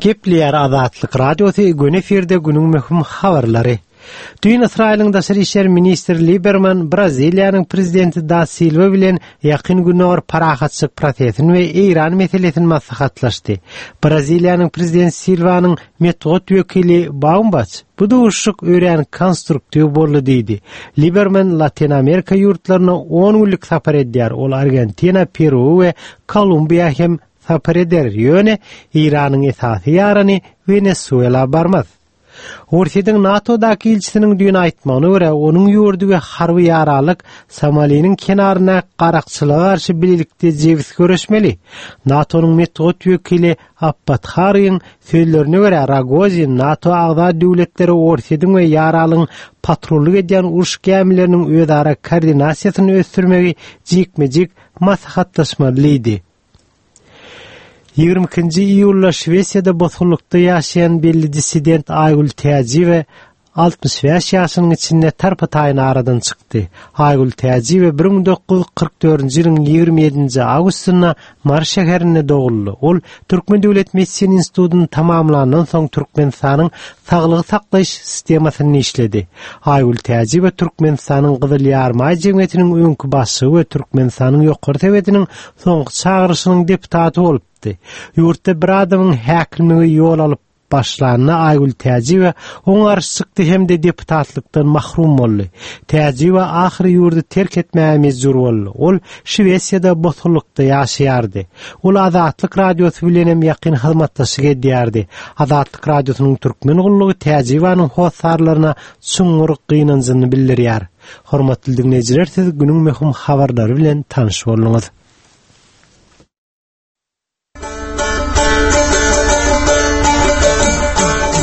Gepleýär Azatlyk Radiosy, gün efirde günüň möhüm habarlary. Düýn Ysraýylyň Daşary İşler Ministri Liberman Braziliýanyň prezidenti Da Silva bilen ýakyn Gündogar parahatçylyk prosesini we Eýran meselesini maslahatlaşdy. Braziliýanyň prezidenti Silvanyň metbugat wekili Baumbach bu duşuşyk örän konstruktiw boldy diýdi. Liberman Latin Amerika ýurtlaryna on günlük sapar edýär. Ol Argentina, Peru we Kolumbiýa hem sapar eder. Ýöne Eýranyň esasy ýarany Venezuela barmaz. Orsýetiň NATO-daky ilçisiniň düýn aýtmagyna görä, onuň ýurdy we harby ýaralyk Somaliniň kenaryna garakçylyga garşy bilelikde jebis görüşmeli. NATO-nyň metbugat wekili Abbat Haryň sözlerine görä, Rogozin NATO agza döwletleri Orsýetiň we ýaralygyň patrullyk edýän uruş gämileriniň özara koordinasiýasyny ösdürmegi jikme-jik maslahatlaşmalydy. Ýigrimi ikinji iýulda Şwesiýada bosgunlykda ýaşaýan belli dissident Aýgül Täjiýewa altmyş bäş ýaşynyň içinde tarpa-taýyn aradan çykdy. Aýgül Täjiýewa bir müň dokuz ýüz kyrk dördünji ýylyň ýigrimi ýedinji awgustynda Mary şäherinde doguldy. Ol Türkmen Döwlet Medisina institutyny tamamlandan soň Türkmenistanyň saglygy saklaýyş sistemasynda işledi. Aýgül Täjiýewa Türkmenistanyň Gyzyl Ýarmaý jemgyýetiniň öňki başlygy we Türkmenistanyň ýokary sowetiniň soňky çagyryşynyň deputaty bolupdy. Ýurtda bir adamyň häkimligi ýol alyp başlanyna Aýgül Täjiýewa oňa garşy çykdy hem-de deputatlykdan mahrum boldy. Täjiýewa ahyry ýurdy terk etmäge mejbur boldy. Ol Şwesiýada bosgunlykda ýaşaýardy. Ol Azatlyk Radiosy bilen hem ýakyn hyzmatdaşlyk edýärdi. Azatlyk Radiosynyň türkmen gullugy Täjiýewanyň hossarlaryna çuňňur gynanjyny bildirýär. Hormatly dinleýjiler, siz günüň möhüm habarlary bilen tanyş bolduňyz.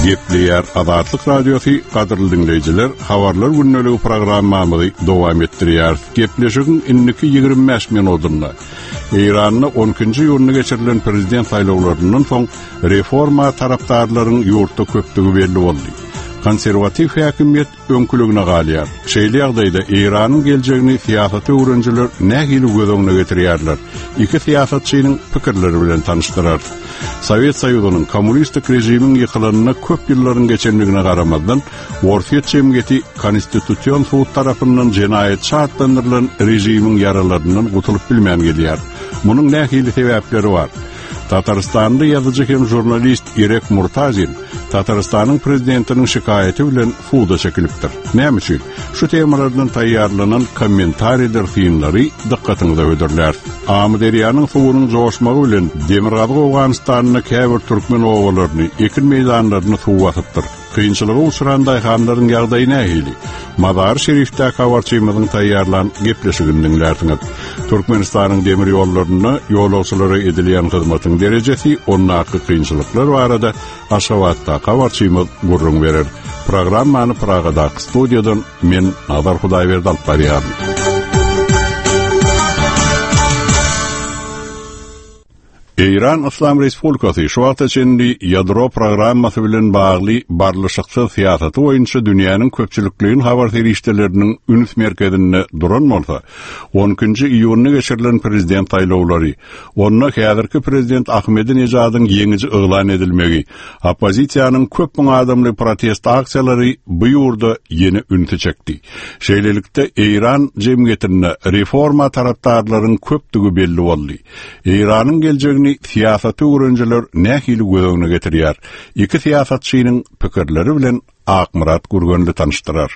Gepleýär Azatlyk Radiosy gadyrly diňleýjiler, habarlar gündeligi programmamyzy dowam etdirýär. Gepleşigiň indiki ýigrimi bäş minutynda Eýranda on ikinji iýunda geçirilen prezident saýlawlaryndan soň reforma tarapdarlaryň ýurtda köpdügi belli boldy. Konserwatiw häkimiýet öňküligine galýar. Şeýle ýagdaýda Eýranyň geljegini syýasat öwrenijiler nähili göz öňüne getirýärler? Iki syýasatçynyň pikirleri bilen tanyşdyrar. Sowet Soýuzynyň kommunistik režimiň ýykylanyna köp ýyllaryň geçendigine garamazdan, Orsýet jemgyýeti konstitusion sud tarapyndan jenaýatçy atlandyrylan režimiň ýaralaryndan gutulyp bilmän gelýär. Munuň nähili sebäpleri bar? Tatarystanda ýazyjy hem žurnalist Irek Murtazin Tatarystanyň prezidentiniň şikaýaty bilen suda çekilipdir. Näme üçin? Şu temalardan taýýarlanan kommentariýalar synlary dykgatyňyza hödürlär. Amyderýanyň suwunyň joşmagy bilen Demirgazyk Owganystanda käbir türkmen obalaryny, ekin meýdanlaryny suw basypdyr. Kynçylyga uçran daýhanlaryň ýagdaýy nähili? Mazar Şerifdäki habarçymyzyň taýýarlan gepleşigini diňlärsiňiz. Türkmenistanyň demir ýollarynda ýolagçylara edilýän hyzmatyň derejesi, ondaky kynçylyklar barada Aşgabatda habarçymyz gürrüň berer. Programmany Pragadaky studiýadan men Nazar Hudaýberdi alyp barýaryn. Eýran Yslam Respublikasy şu wagta çenli ýadro programmasy bilen bagly barlyşyksyz syýasaty boýunça dünýäniň köpçülikleýin habar serişdeleriniň üns merkezinde duran bolsa, on ikinji iýunda geçirilen prezident saýlawlary, onda häzirki prezident Ahmedinejadyň ýeňiji yglan edilmegi, oppozisiýanyň köp müň adamly protest aksiýalary bu ýurda ýene ünsi çekdi. Şeýlelikde Eýran jemgyýetinde reforma tarapdarlaryň köpdügi belli boldy. Eýranyň geljegini syýasaty öwrenijiler nähili göz öňüne getirýär? Iki syýasatçynyň pikirleri bilen Akmyrat Gürgenli tanyşdyrar.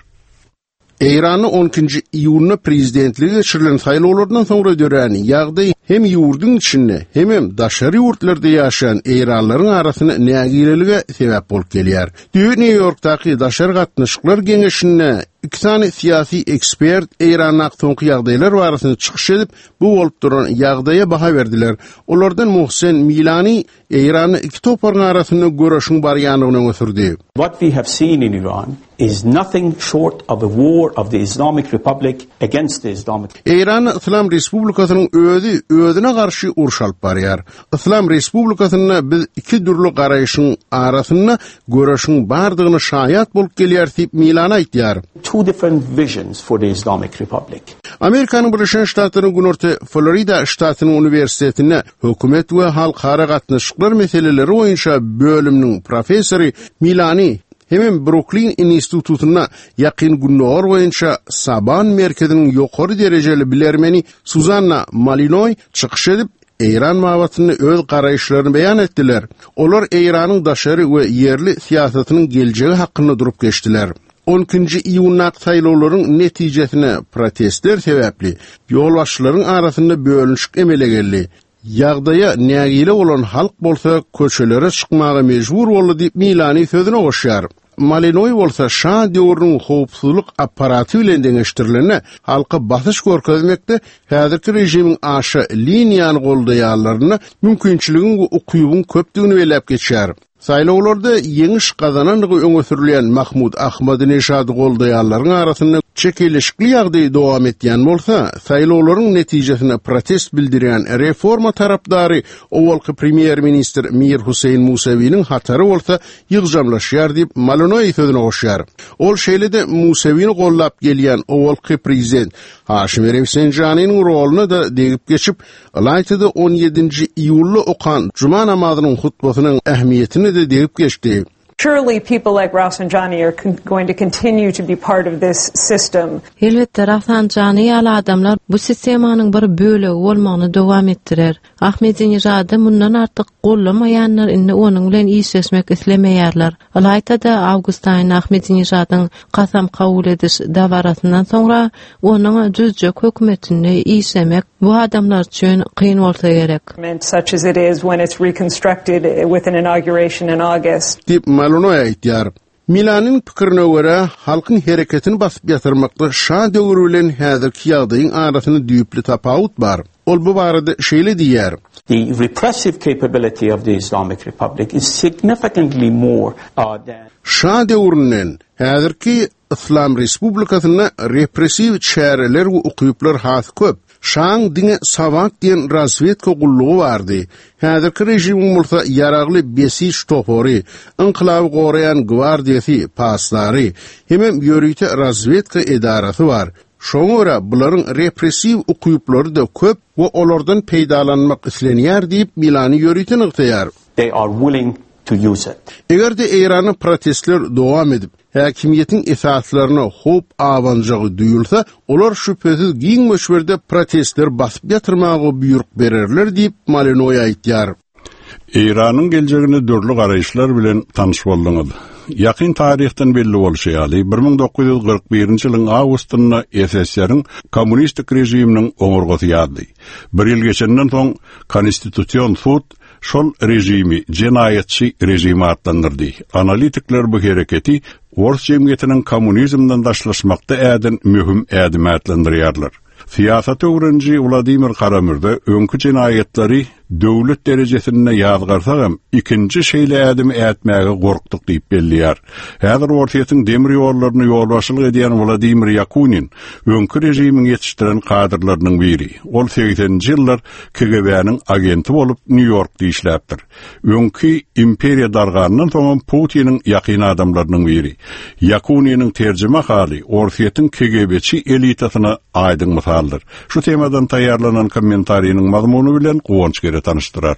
Eýranyň on ikinji iýunda prezidentligi geçirilen saýlawlardan soňra dörän ýagdaý hem ýurduň içinde hem hem daşary ýurtlarda ýaşaýan Eýranlaryň arasynda nägilelige sebäp bolup gelýär. Düýn New Yorkdaky daşary gatnaşyklar geňeşinde iki sany syýasy ekspert Eýrandaky soňky ýagdaýlar barasynda çykyş edip, bu bolup duran ýagdaýa baha berdiler. Olardan Muhsen Milani Eýranda iki toparyň arasynda göreşiň barýandygyny öňe sürdi. What we have seen in Iran is nothing short of a war of the Islamic Republic against the Islamic Eýran Islam Respublikasynyň özi özüne garşy uruş alyp barýar. Islam Respublikasynda biz iki dürli garaýşyň arasynda göreşiň bardygyny şaýat bolup gelýär diýip Milani aýtýar. Two different visions for the Islamic Republic. Amerikanyň Birleşen Ştatlarynyň Günorta Florida ştatynyň uniwersitetinde hökümet we halkara gatnaşyklar meseleleri boýunça bölüminiň professory Milani hemem Brooklyn institutynda ýakyn gündogar boýunça Saban merkeziniň ýokary derejeli bilermeni Suzanna Malinoý çykyş edip, Eýran babatynda öz garaýyşlaryny beýan etdiler. Olar Eýranyň daşary we ýerli syýasatynyň geljegi hakynda durup geçdiler. on ikinji iýundaky saýlawlaryň netijesine protestler sebäpli ýolbaşçylaryň arasynda bölünişik emele geldi. Ýagdaýa nägile bolan halk bolsa köçelere çykmaga mejbur boldy diýip Milani sözüne goşýar. Malinoý bolsa şa döwrüniň howpsuzlyk apparaty bilen deňeşdirilende halka basyş görkezmekde häzirki režimiň aşa liniýany goldaýanlaryna mümkinçiligiň we ukybyň köpdügini belläp geçýär. Saýlawlarda ýeňiş gazanandygy öňe sürülýän Mahmud Ahmadinejady goldaýanlaryň arasynda çekeleşikli ýagdaý dowam etýän bolsa, saýlawlaryň netijesine protest bildirýän reforma tarapdary owalky premýer-ministr Mir Hüseýin Musawiniň hatary bolsa ýygjamlaşýar diýip Malinoý sözüne goşýar. Ol şeýle-de Musawini gollap gelýän owalky prezident Haşim Rafsanjanyň roluna da degip geçip, Ylaýtada on ýedinji iýulda okan Cuma namazynyň hutbasynyň ähmiýetini de degip geçdi. Surely people like Rafsanjani are con-, going to continue to be part of this system. Elbetde Rafsanjani ýaly adamlar bu sistemanyň bir bölegi bolmagyny dowam etdirer. Ahmedinejady mundan artyk gollamaýanlar indi onuň bilen işleşmek islemeýärler. Ylaýtada awgust aýynda Ahmedinejadyň kasam kabul ediş dabarasyndan soňra onuň düzjek hökümetinde işlemek bu adamlar üçin kyn bolsa gerek. Such as it is when it's reconstructed with an inauguration in August. Diýip Malinoý aýtýar. Milanyň pikirine görä, halkyň hereketini basyp ýatyrmakda şa döwri bilen häzirki ýagdaýyň arasynda düýpli tapawut bar. Ol bu barada şeýle diýýär. The repressive capability of the Islamic Republic is significantly more uh, than Şa döwründen häzirki Islam Respublikasynda repressiw çäreler we ukyplar has köp. Şaň diňe Savak diýen razwedka gullugy bardy. Häzirki režimiň bolsa ýaragly besiç topary, inqilaby goraýan gwardiýasy, paslary, hemem ýörite razwedka edarasy bar. Şoňa görä bularyň repressiw ukyplary-da köp we olardan peýdalanmak islenýär diýip Milani ýörite nygtaýar. They are willing to use it. Eger-de Eýranda protestler dowam edip, häkimiýetiň esaslaryna howp abanjagy duýulsa, olar şübhesiz giň möçberde protestler basyp ýatyrmaga buýruk bererler diýip Malinoý aýtýar. Eýranyň geljegine dürli garaýyşlar bilen tanyş bolduňyz. Ýakyn taryhdan belli bolşy ýaly, bir müň dokuz ýüz kyrk birinji ýylyň awgustynda S S R-iň kommunistik režiminiň oňurgasy ýazdy. Bir ýyl geçenden soň Konstitusion sud şol režimi jenaýatçy režim atlandyrdy. Analitikler bu hereketi Ors jemgyýetiniň kommunizmden daşlaşmakda äden möhüm ädim atlandyrýarlar. Syýasat öwreniji Wladimir Karamürze öňki jenaýatlary döwlet derejesinde ýazgarsagam ikinji şeýle ädimi ätmäge gorkduk diýip belleýär. Häzir Orsýetiň demir ýollaryny ýolbaşçylyk edýän Wladimir Ýakunin öňki režimiň ýetişdiren kadrlarynyň biri. Ol segseninji ýyllar K G B-niň agenti bolup Nýu-Ýorkda işläpdir. Öňki imperiýa dargandan soň Putiniň ýakyn adamlarynyň biri. Ýakuniniň terjime haly Orsýetiň K G B-çi elitasyna aýdyň mysaldyr. Şu temadan taýýarlanan kommentariniň mazmuny bilen Guwanç Gere tanyşdyrar.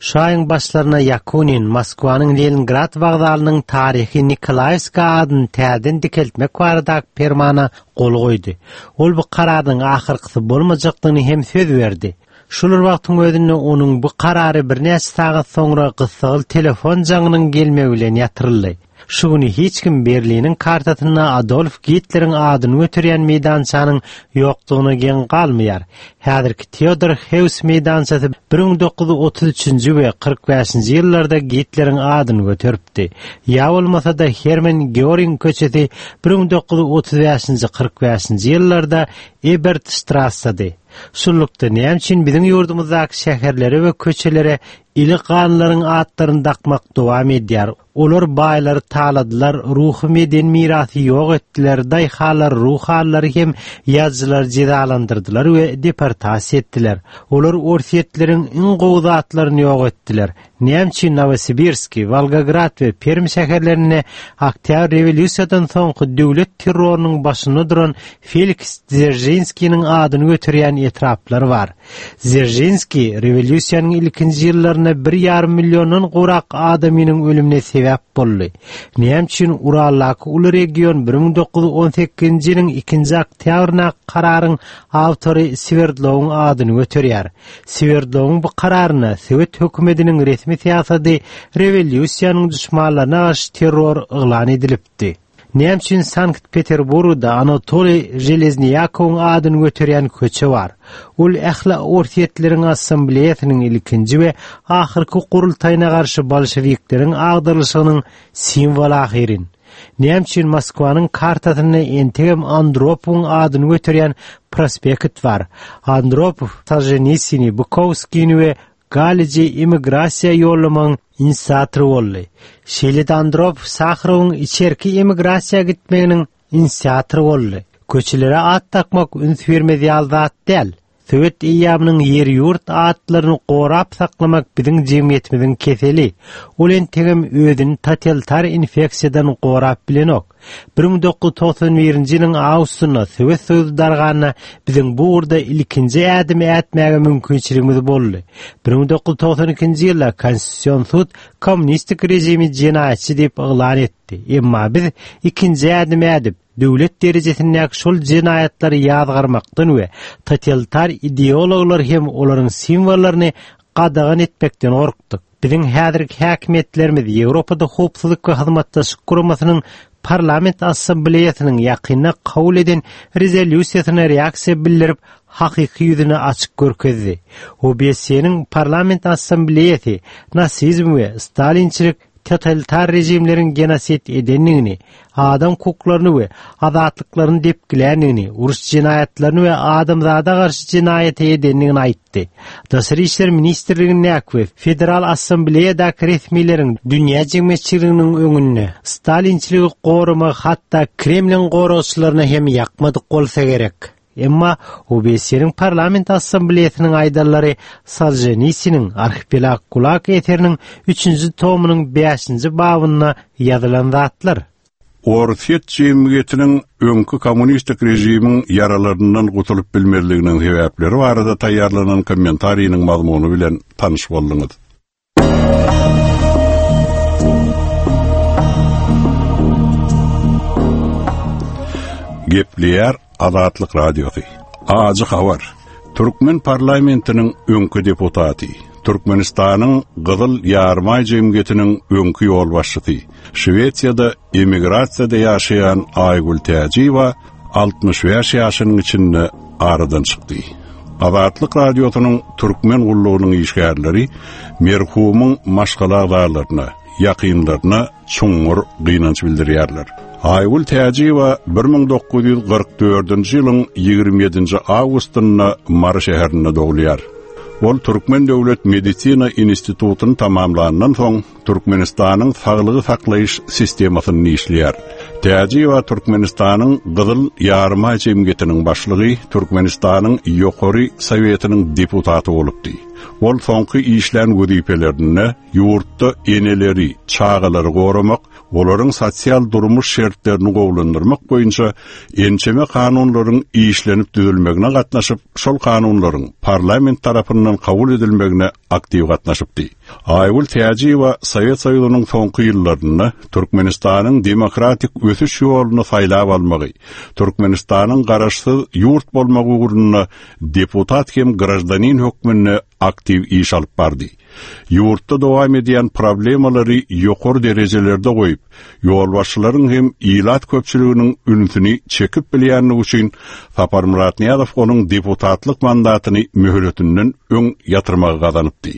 Şu aýyň başlaryna Ýakunin Moskwanyň Leningrad wokzalynyň taryhy Nikolaýewska adyny täzeden dikeltmek baradaky permana gol goýdy. Ol bu kararyň ahyrkysy bolmajakdygyny hem söz berdi. Şol wagtyň özünde onuň bu karary birnäçe sagat soňra gyssagyl telefon jaňynyň gelmegi bilen ýatyryldy. Şu güni hiç kim Berliniň kartasynda Adolf Gitleriň adyny göterýän meýdançanyň ýokdugyna geň galmaýar. Häzirki Theodor Heuss meýdançasy bir müň dokuz ýüz otuz üçünji we kyrk bäşinji ýyllarda Gitleriň adyny göteripdi. Ýa bolmasa-da Hermann Göring köçesi bir müň dokuz ýüz otuz bäşinji kyrk bäşinji ýyllarda Ebert Strassady. Şunlukda näme üçin biziň ýurdumyzdaky şäherlere we köçelere ili ganlaryň atlaryny dakmak dowam edýär? Olar baýlary taladylar, ruhy medeni mirasy ýok etdiler, daýhalar, ruhanlary hem ýazyjylary jezalandyrdylar we deportasiýa etdiler. Olar Orsýetleriň iň gowy zatlaryny ýok etdiler. Näme üçin Nowosibirski, Volgograd we Perm şäherlerinde Oktýabr rewolýusiýadan soňky döwlet terrorynyň başynda duran Feliks Dzeržinskiniň adyny göterýän etraplar bar? Dzeržinski rewolýusiýanyň ilkinji ýyllarynda bir ýarym milliondan gowrak adamynyň ölümine sebäp boldy. Näme üçin Uraldaky uly region bir müň dokuz ýüz on sekizinji ýylyň ikinji oktýabryna kararyň awtory Swerdlowyň adyny göterýär? Swerdlowyň bu kararyna Sowet hökümetiniň resmi syýasady rewolýusiýanyň düşmanlaryna garşy terror yglan edilipdi. Näme üçin Sankt Peterburgda Anatoliý Železniýakowyň adyny göterýän köçe bar? Ol ähli Orsýetleriň assambleýasynyň ilkinji we ahyrky gurultaýyna garşy bolşewikleriň agdarylyşynyň simwoly ahyryn. Näme üçin Moskwanyň kartasynda entegem Andropowyň adyny göterýän prospekt bar? Andropow Solženitsini, Bukowskini we Galiji emigrasiýa ýollamagyň inisiatory boldy. Şeýle-de Andropow Saharowyň içerki emigrasiýa gitmeginiň inisiatory boldy. Köçelere at takmak üns bermez ýaly zat däl. Sowet eýýamynyň ýer-ýurt atlaryny gorap saklamak biziň jemgyýetimiziň keseli. Ol entegem özüni totalitar infeksiýadan gorap bilenok. Bir müň dokuz ýüz togsan birinji ýylyň awgustynda Sowet Soýuzy darganda biziň bu ugurda ilkinji ädimi ätmäge mümkinçiligimiz boldy. Bir müň dokuz ýüz togsan ikinji ýylda Konstitusion sud kommunistik režimi jenaýatçy diýip yglan etdi. Emma biz ikinji ädimi ädip, döwlet derejesindäki şol jenaýatlary ýazgarmakdan we totalitar ideologlar hem olaryň simwollaryny gadagan etmekden gorkduk. Biziň häzirki häkimiýetlerimiz Ýewropada howpsuzlyk we hyzmatdaşlyk guramasynyň parlament assambleýasynyň ýakynda kabul eden rezolýusiýasyna reaksiýa bildirip, hakyky ýüzüni açyk görkezdi. O B S E-niň parlament assambleýasy nasizm we stalinçilik totalitar rejimleriň genosid edenligini, adam hukuklaryny we azatlyklaryny depgilenligini, uruş jenaýatlaryny we adamzada garşy jenaýaty edenligini aýtdy. Daşary işler ministrligindäki we Federal Assambleýadaky resmileriň dünýä jemgyýetçiliginiň öňünde Stalinçiligi goramagy hatda Kremliň goragçylaryna hem ýakmadyk bolsa gerek. Emma O B S Eniň Parlament Assambleýasynyň aýdanlary Solženitsiniň Arhipelag Gulag eseriniň üçünji tomunyň bäşinji babynda ýazylan zatlar. Orsýet jemgyýetiniň öňki kommunistik režimiň ýaralaryndan gutulyp bilmezliginiň sebäpleri barada taýýarlanan kommentariniň mazmuny bilen tanyş bolduňyz. Gepleýär Azatlyk Radiosy. Ajy habar. Türkmen parlamentiniň öňki deputaty, Türkmenistanyň Gyzyl Ýarymaý jemgyýetiniň öňki ýolbaşçysy, Şwesiýada emigrasiýada ýaşaýan Aýgül Täjiýewa altmyş bäş ýaşynyň içinde aradan çykdy. Azatlyk Radiosynyň Türkmen gullugynyň işgärleri merhumyň maşgala agzalaryna, ýakynlaryna çuňňur gynanç bildirýärler. Aýgül Täjiýewa bir müň dokuz ýüz kyrk dördünji ýylyň ýigrimi ýedinji awgustynda Mary şäherinde dogulýar. Ol Türkmen Döwlet Medisina Institutyny tamamlandan soň Türkmenistanyň saglygy saklaýyş sistemasynda işleýär. Täjiýewa Türkmenistanyň Gyzyl Ýarymaý jemgyýetiniň başlygy, Türkmenistanyň Ýokary Sowetiniň deputaty bolupdy. Ol soňky işlän wezipelerinde ýurtda eneleri, çagalary goramak, olaryň sosial durmuş şertlerini gowulandyrmak boýunça ençeme kanunlaryň işlenip düzülmegine gatnaşyp, şol kanunlaryň parlament tarapyndan kabul edilmegine aktiw gatnaşypdy. Aýgül Täjiýewa Sowet Soýuzynyň soňky ýyllarynda Türkmenistanyň demokratik ösüş ýoluny saýlap almagy, Türkmenistanyň garaşsyz ýurt bolmagy ugrunda deputat hem graždanin hökmünde aktiw iş alyp bardy. Ýurtda dowam edýän problemalary ýokary derejelerde goýup, ýolbaşçylaryň hem ilat köpçüliginiň ünsüni çekip bilýänligi üçin Saparmyrat Nyýazow onuň deputatlyk mandatyny möhletinden öň ýatyrmagy gazanypdy.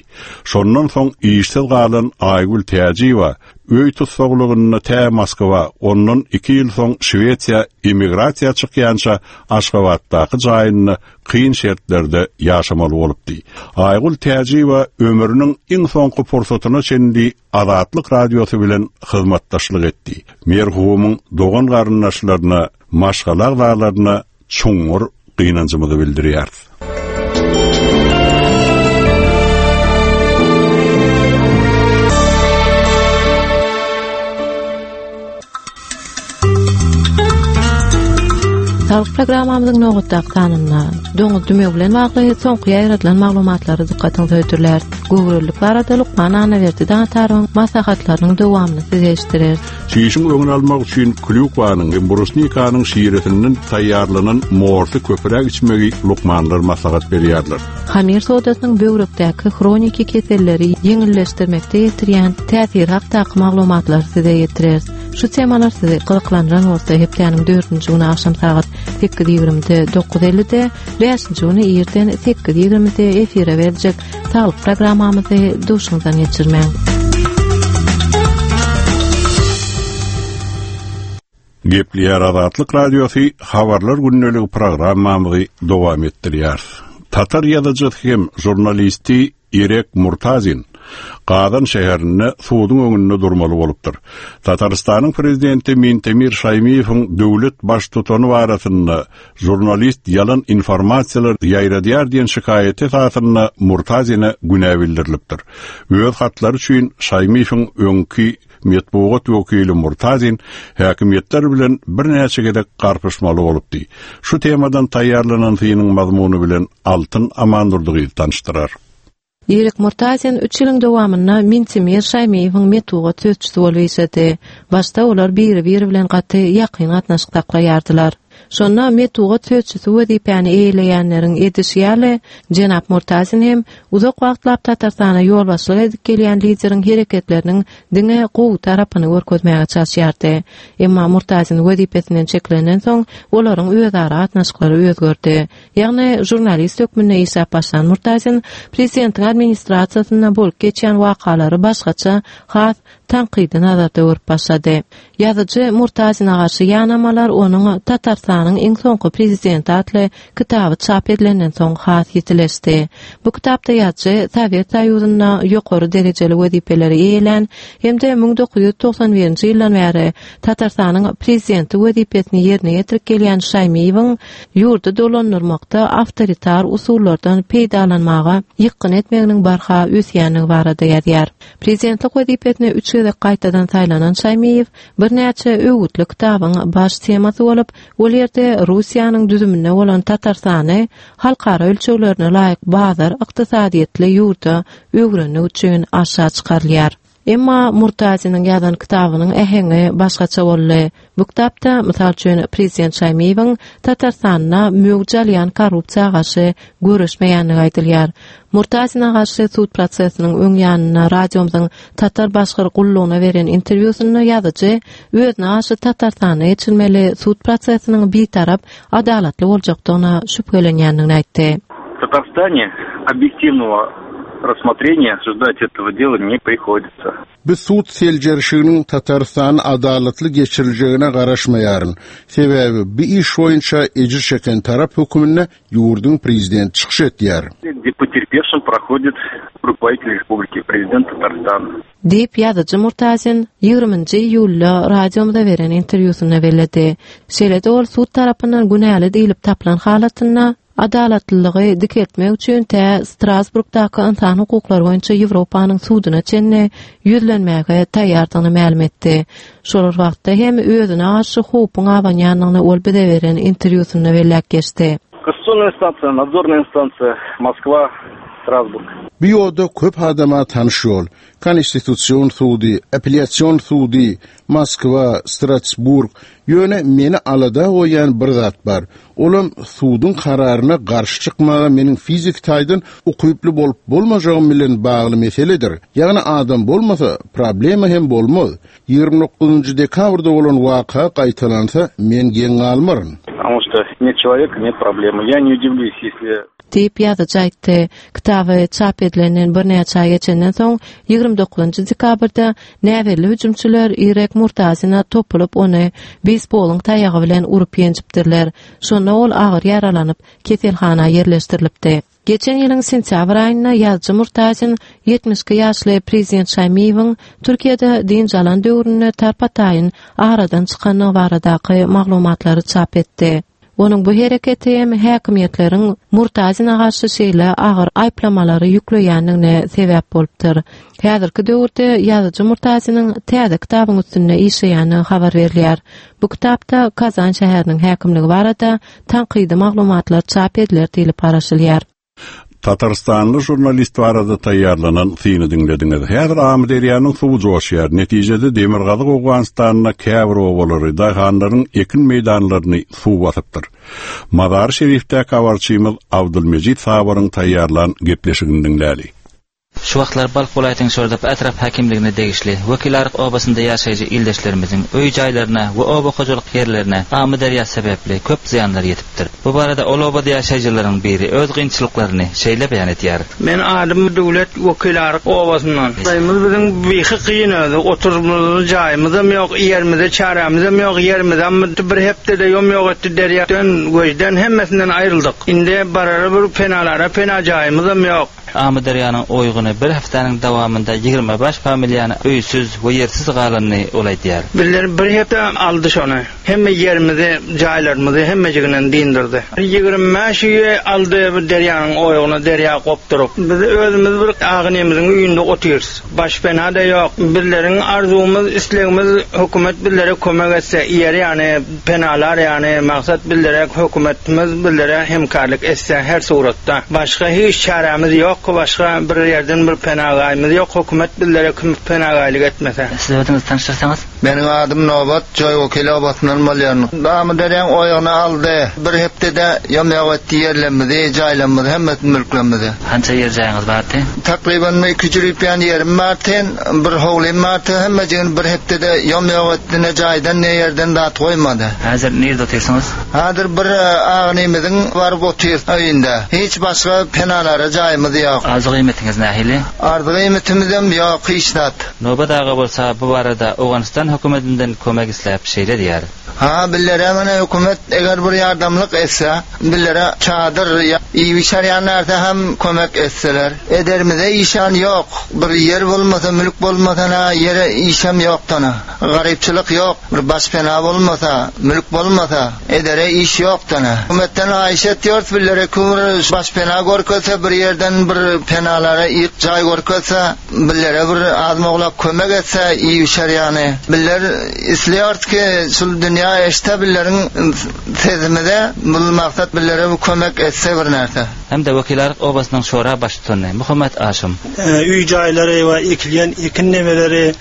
Şondan soň işsiz galan Aýgül Täjiýewa öý tussaglygynda tä Moskwa, ondan iki ýyl soň Şwesiýa emigrasiýa çykýança Aşgabatdaky jaýynda kyn şertlerde ýaşamaly bolupdy. Aýgül Täjiýewa ömrüniň iň soňky pursatyna çenli Azatlyk Radiosy bilen hyzmatdaşlyk etdi. Merhumyň dogan garyndaşlaryna, maşgala agzalaryna çuňňur gynanjymyzy bildirýäris. Saglyk programmamyzyň nobatdaky sanynda doňuz dümewi bilen bagly soňky ýaýradylan maglumatlary dykgatyňyza hödürläris. Göwrelilik barada lukman Annaberdi Dagataryň maslahatlarynyň dowamyny size eşitdireris. Çişiň öňüni almak üçin klýukwanyň hem brusnikanyň şiresinden taýýarlanan morsy köpräk içmegi lukmanlar maslahat berýärler. Hamir sodasynyň böwrekdäki hroniki keselleri ýeňilleşdirmekde ýetirýän täsiri hakdaky maglumatlary size ýetireris. Şu temalar sizi gyzyklandyran bolsa hepdäniň dördünji güni agşam sagat sekiz ýigrimide, dokuz ellide, bäşinji güni irden sekiz ýigrimide efire berjek saglyk programmamyzy duşuňyzdan geçirmäň. Gepleýär Azatlyk Radiosy, habarlar gündeligi programmamyzy dowam etdirýär. Tatar ýazyjysy hem žurnalisti Irek Murtazin Gazan şäherinde suduň öňünde durmaly bolupdyr. Tatarystanyň prezidenti Mintemir Şaýmiýewiň döwlet baştutany barasynda žurnalist ýalan informasiýalar ýaýradýar diýen şikaýaty esasynda Murtazine günä bildirilipdir. Öz hatlary üçin Şaýmiýewiň öňki metbugat wekili Murtazin häkimiýetler bilen birnäçe gezek garpyşmaly bolupdy. Şu temadan taýýarlanan synyň mazmuny bilen Altyn Amandurdygyz tanyşdyrar. Irek Murtazin üç ýylyň dowamynda Mintemir Şaýmiýewiň metbugat sözçüsi bolup işledi. Başda olar biri-biri bilen gaty ýakyn gatnaşyk saklaýardylar. Şonda metbugat sözçüsi wezipäni eýeleýänleriň edişi ýaly, jenap Murtazin hem uzak wagtlap Tatarstana ýolbaşçylyk edip gelýän lideriň hereketleriniň diňe gowy tarapyny görkezmäge çalyşýardy. Emma Murtazin wezipesinden çekilenden soň olaryň özara gatnaşyklary özgerdi. Ýagny žurnalist hökmünde işläp başlan Murtazin prezidentiň administrasiýasynda bolup geçýän wakalary başgaça has tankydy nazarda görüp başlady. Ýazyjy Murtazine garşy ýanamalar onuň Tatarstanyň iň soňky prezidenti atly kitaby çap edilenden soň has ýetileşdi. Bu kitapda ýazyjy Sowet Soýuzynda ýokary derejeli wezipeleri eýelän hem-de müň dokuz ýüz togsan birinji ýyldan bäri Tatarstanyň prezidenti wezipesini ýerine ýetirip gelýän Şaýmiýewiň ýurdy dolandyrmakda awtoritar usullardan peýdalanmaga ýykgyn etmeginiň barha ösýändigi barada ýazýar. Prezidentlik wezipesine üç gezek gaýtadan saýlanan Şaýmiýew birnäçe öwütli kitabyň baş temasy bolup, ol ýerde Russiýanyň düzüminde bolan Tatarstany halkara ölçeglerine laýyk bazar ykdysadyýetli ýurda öwrenmek üçin aşa çykarylýar. Emma Murtaziniň ýazan kitabynyň äheňi başgaça boldy. Bu kitapda, mysal üçin, prezident Şaýmiýewiň Tatarstanda möwç alýan korrupsiýa garşy görüşmeýändigi aýdylýar. Murtazine garşy sud prosesiniň öň ýanynda radiomyzyň Tatar başgyr gullugyna beren interwýusynda ýazyjy özüne garşy Tatarstanda geçirilmeli sud prosesiniň bitarap adalatly boljakdygyna şübhelenýändigini aýtdy. В Татарстане объективного рассмотрения ждать этого дела не приходится. Bu sud seljerişiginiň Tatarstan adalatly geçiriljegine garaşmaýaryn. Sebäbi bu iş boýunça ejir çeken tarap höküminde ýurduň prezidenti çykyş etýär. Где потерпевшим проходит руководитель республики, президент Татарстана. Diýip ýazyjy Murtazin ýigriminji iýulda radiomyza beren interwýusynda belledi. Şeýle-de ol sud tarapyndan günäli diýilip tapylan halatynda adalatlylygy dikeltmek üçin tä Strasburgdaky insan hukuklary boýunça Ýewropanyň suduna çenli ýüzlenmäge taýýardygyny mälim etdi. Şol wagtda hem özüne garşy howpuň abanýandygyny ol bize beren interwýusynda belläp geçdi. Конституционная инстанция, надзорная инстанция, Москва, Страсбург. Bu ýolda köp adama tanyş ýol. Konstitusion sudy, apellasyon sudy, Moskwa, Strasburg. Ýöne meni alada goýan bir zat bar. Olam suduň kararyna garşy çykmaga meniň fizik taýdan ukyply bolup bolmajagym bilen bagly meseledir. Ýagny adam bolmasa problema hem bolmaz. Ýigrimi dokuzynjy dekabrda bolan waka gaýtalansa men geň galmaryn. Потому что нет человека, нет проблемы. Я не удивлюсь, если Diýip ýazyjy aýtdy. Kitaby çap edilenden birnäçe aý geçenden soň ýigrimi dokuzynjy dekabrda näbelli hüjümçiler Irek Murtazina topulyp ony beysbolyň taýagy bilen urup ýenjipdirler. Şonda ol agyr ýaralanyp keselhana ýerleşdirilipdi. Geçen ýylyň sentýabr aýynda ýazyjy Murtazin ýetmiş iki ýaşly prezident Şaýmiýewiň Türkiýede dynç alan döwründe tarpataýyn aradan çykandygy baradaky maglumatlary çap etdi. Onuň bu hereketi hem häkimiýetleriň Murtazine garşy şeýle agyr aýyplamalary ýükleýändigine sebäp bolupdyr. Häzirki döwürde ýazyjy Murtaziniň täze kitabyň üstünde işleýändigi habar berilýär. Bu kitapda Kazan şäheriniň häkimligi barada tankydy maglumatlar çap ediler diýlip garaşylýar. Tatarstanly jurnalist barada taýýarlanan syny diňlediňiz. Häzir Amyderýanyň suwy joşýar. Netijede Demirgazyk Owganystanyna käbir obalary, daýhanlaryň ekin meýdanlaryny suw basypdyr. Mazar Şerifdäki habarçymyz Abdülmejit Sabaryň taýýarlan gepleşigini diňläli. Şu wagtlar Balh welaýatynyň Şordaky etrap häkimligine degişli Wekilaryk obasynda ýaşaýjy ildeşlerimiziň öý jaýlaryna we oba hojalyk ýerlerine Amyderýa sebäpli köp zyýanlar ýetipdir. Bu barada ol obada ýaşaýjylaryň biri öz kynçylyklaryny şeýle beýan edýär. Men adym Döwlet Wekilaryk obasyndan. Daýymyz biziň bihi kyn özi, oturmyz jaýymyzam ýok, ýerimize çärämizem ýok, ýerimizem bir hepdede ýom ýok etdi derýadan, göjden hemmesinden aýryldyk. Indi barara bir penalara pena jaýymyzam ýok. Amyderýanyň oýguny bir hepdäniň dowamynda ýigrimi bäş familiýany öýsüz we ýersiz galanyny ol aýdýar. Bizler bir hepde aldy şony. Hemme ýerimizi, jaýlarymyzy hemmejiginden dindirdi. Ýigrimi bäş öýe aldy bu derýanyň oýguny derýa gopduryp. Biz özümiz bir agynymyzyň öýünde otyrys. Baş pena da ýok. Bizleriň arzuwymyz, islegimiz hökümet bizlere kömek etse, ýer ýany penalar ýany maksat bizlere hökümetimiz bizlere hemkarlyk etse her suratda. Başga hiç çäremiz ýok, başga bir ýerden bir penagaýymyz ýok, hökümet bizlere kim penagaýlyk etmese. Siz özüňizi tanışdyrsaňyz? Meniň adym Nobat, Joý Wekil obasyndan bolýan. Amyderýaň oýagyny aldy. Bir hepdede ýom-ýok etdi ýerlerimizi, jaýlarymyzy, hemmesini mülklerimizi. Hança ýer jaýyňyz bardy? Takryban iki jübüp ýan ýerim bardy, bir howlym bardy, hemmejigini bir hepdede ýom-ýok etdi, ne jaýdan, ne ýerden zat goýmady. Häzir nirde otyrsyňyz? Häzir bir agynymyzyň baryp otyr öýünde. Hiç başga penalara jaýymyz ýok. Arzyk iýmitiňiz nähili? Arzyk iýmitimizem ýok, hiç zat. Nobat aga bolsa bu barada Owganystan hökümetinden kömek isläp şeýle diýýär. Ha, billere mene hökümet eger bir ýardamlyk etse, billere çadyr ýa iýip-içer ýan närse hem kömek etseler. Ederimize işan ýok, bir ýer bolmasa, mülk bolmasa na ýere işem ýokdana. Garypçylyk ýok, bir başpena bolmasa, mülk bolmasa, edere iş ýokdana. Hökümetden haýyş etýäris, billere bir başpena görkezse, bir ýerden bir penalara ýyk jaý görkezse, billere bir az-moglak kömek etse, iýip-içer ýany. Biller isleýäris ki, şul dünýä eşitse billeriň sesimize, bul maksat billere bir kömek etse bir närse. Hem-de Wekilaryk obasynyň şora baştutany Muhammet Aşym. Öý jaýlary we ekilýän ekin nemeleri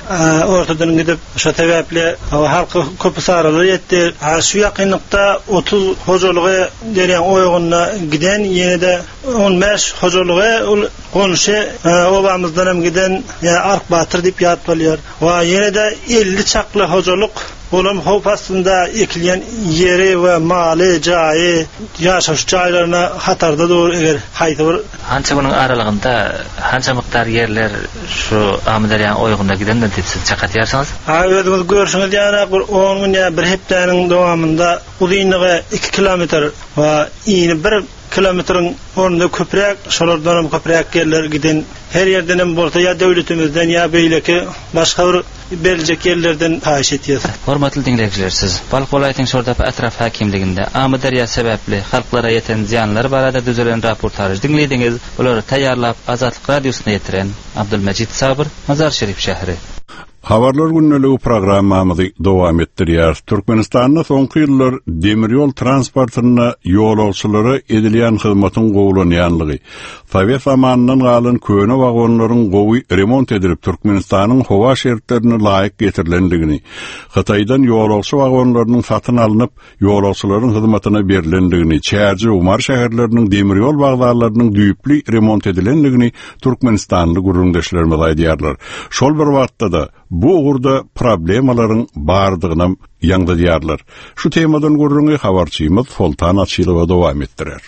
ortadan gidip, şo sebäpli halka köp hasarlar ýetdi. Şu ýakynlykda otuz hojalygy derýaň oýagynda giden, ýene-de on bäş hojalygy ol goňşy obamyzdan hem giden, ýa Ark Batyr diýip ýat bolýar. We ýene-de elli çakly hojalyk olam howp astynda ekilýän ýeri we maly, jaýy, ýaşaýyş jaýlaryna hatarda dur eger haýsy bir Hança günüň aralygynda hança mukdar ýerler şu Amyderýaň oýagynda gidendir diýip siz çak atýarsyňyz? Ha, özüňiz görşüňiz ýaly bir on gün ýa bir hepdäniň dowamynda uzynlygy iki kilometr we ini bir kilometriň ornunda köpräk, şolardan hem köpräk ýerler giden. Her ýerden hem bolsa ýa döwletimizden ýa beýleki başga bir beriljek ýerlerden haýyş etýäs. Hormatly diňleýjiler, siz Balh welaýatynyň Şordepe etrap häkimliginde Amyderýa sebäpli halklara ýeten zyýanlar barada düzülen raportaž diňlediňiz. Bulary taýýarlap Azatlyk radiosyna ýetiren Abdülmejit Sabyr, Mazar Şerif şäheri. Habarlar gündeligi programmamyzy dowam etdirýär. Türkmenistanda soňky ýyllar demir ýol transportynda ýolagçylara edilýän hyzmatyň gowulanýanlygy, Sowet zamanyndan galan köne wagonlaryň gowy remont edilip Türkmenistanyň howa şertlerine laýyk getirilendigini, Hytaýdan ýolagçy wagonlarynyň satyn alnyp ýolagçylaryň hyzmatyna berilendigini, Çärjew Mary şäherleriniň demir ýol wokzallarynyň düýpli remont edilendigini Türkmenistanly gürrüňdeşlerimiz aýdýarlar. Şol bir wagtda-da bu ugurda problemalaryň bardygyny ýaňzydýarlar. Şu temadan gürrüňi habarçymyz Soltan Açylowa dowam etdirer.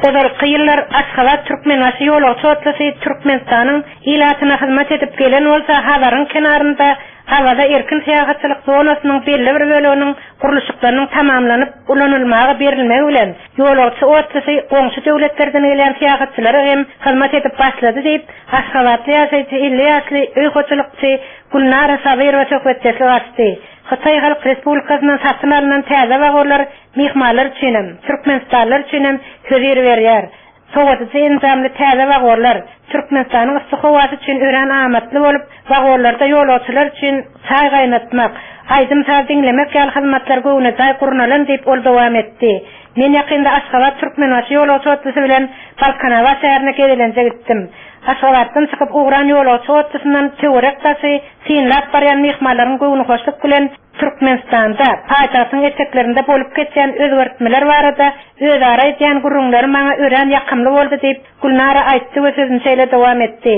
Ozalky ýyllar Aşgabat Türkmenbaşy ýolagçy otlusy Türkmenistanyň ilatyna hyzmat edip gelen bolsa, Hazaryň kenarynda Awaza erkin syýahatçylyk zonasynyň belli bir böleginiň gurluşyklarynyň tamamlanyp ulanylmaga berilmegi bilen ýolagçy otlusy goňşy döwletlerden gelýän syýahatçylara hem hyzmat edip başlady diýip, Aşgabatly ýaşaýjy elli ýaşly öý hojalykçy Gülnara Sabyrowa söhbetdeşlik açdy. Hytaý Halk Respublikasyndan satyn alynan täze wagonlar myhmanlar üçin hem, Türkmenistanlylar üçin hem hözir berýär. Sowadyjy enjamly täze wagonlar Türkmenistanyň yssy howasy üçin örän amatly bolup, wagonlarda ýolagçylar üçin çaý gaýnatmak, aýdym-saz diňlemek ýaly hyzmatlar göwnejaý gurnalan diýip ol dowam etdi. Men ýakynda Aşgabat Türkmenbaşy ýolagçy otlusy bilen Balkanabat şäherine gezelenje gitdim. Aşgabatdan çykyp ugran ýolagçy otlusyndan töwerek daşy synlap barýan myhmanlaryň göwnühoşluk bilen Türkmenistanda paýtagtyň eteklerinde bolup geçýän özgertmeler barada özara edýän gürrüňleri maňa örän ýakymly boldy diýip Gülnara aýtdy we sözüni şeýle dowam etdi.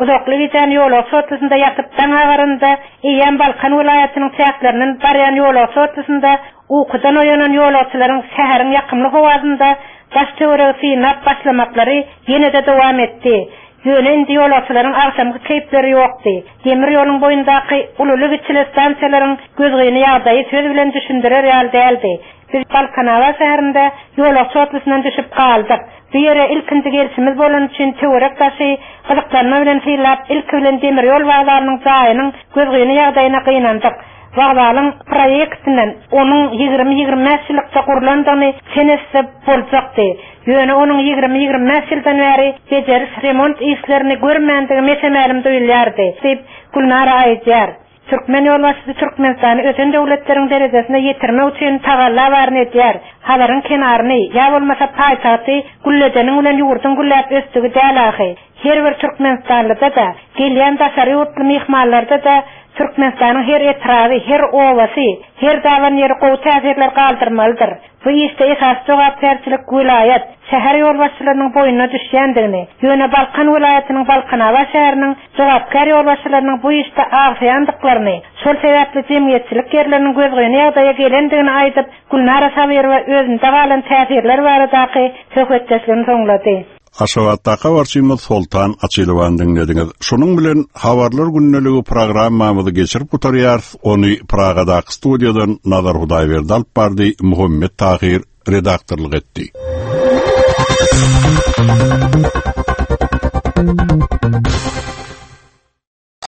Uzakly gijäni ýolagçy otlusynda ýatyp daň agarynda eýýäm Balkan welaýatynyň çäklerinden barýan ýolagçy otlusynda ukudan oýanan ýolagçylaryň şäheriň ýakymly howasynda daş töweregi synlap başlamaklary ýene-de dowam etdi. Ýöne indi ýolagçylaryň agşamky keýpleri ýokdy. Demir ýoluň boýundaky ululy-kiçili stansiýalaryň gözgyny ýagdaýy söz bilen düşündirer ýaly däldi. Biz Balkanabat şäherinde ýolagçy otlusyndan düşüp galdyk. Bu ýere ilkinji gelşimiz bolan üçin töwerek daşy gyzyklanma bilen synlap, ilki bilen demir ýol wokzalynyň jaýynyň gözgyny ýagdaýyna gynandyk. Wokzalyň proýektinden onuň ýigrimi ýigrimi bäş ýyllykda gurlandygyny çen etse boljakdy. Ýöne onuň ýigrimi ýigrimi bäş ýyldan bäri bejeriş remont işlerini görmändigi mesemälim duýulýardy diýip Gülnara aýdýar. Türkmen ýolbaşçysy Türkmenistany ösen döwletleriň derejesine ýetirmek üçin tagalla baryny edýär. Hazaryň kenaryny ýa bolmasa paýtagty gülledeniň bilen ýurduň gülläp ösdügi däl ahy. Her bir Türkmenistanlyda da, gelýän daşary ýurtly myhmanlarda da Türkmenistanyň her etraby, her obasy, her daban ýeri gowy täsirler galdyrmalydyr. Bu işde esasy jogapkärçilik welaýat, şäher ýolbaşçylarynyň boýnuna düşýändigini, ýöne Balkan welaýatynyň Balkanabat şäheriniň jogapkär ýolbaşçylarynyň bu işde agsaýandyklaryny, şol sebäpli jemgyýetçilik ýerleriniň gözgyny ýagdaýa gelendigini aýdyp, Gülnara Sabyrowa özünde galan täsirler baradaky söhbetdeşligini soňlady. Aşgabatdaky habarçymyz Soltan Açylowany diňlediňiz. Şonuň bilen Habarlar gündeligi programmamyzy geçirip gutarýarys. Ony Pragadaky studiýadan Nazar Hudaýberdi alyp bardy, Muhammet Tahir redaktorlyk etdi.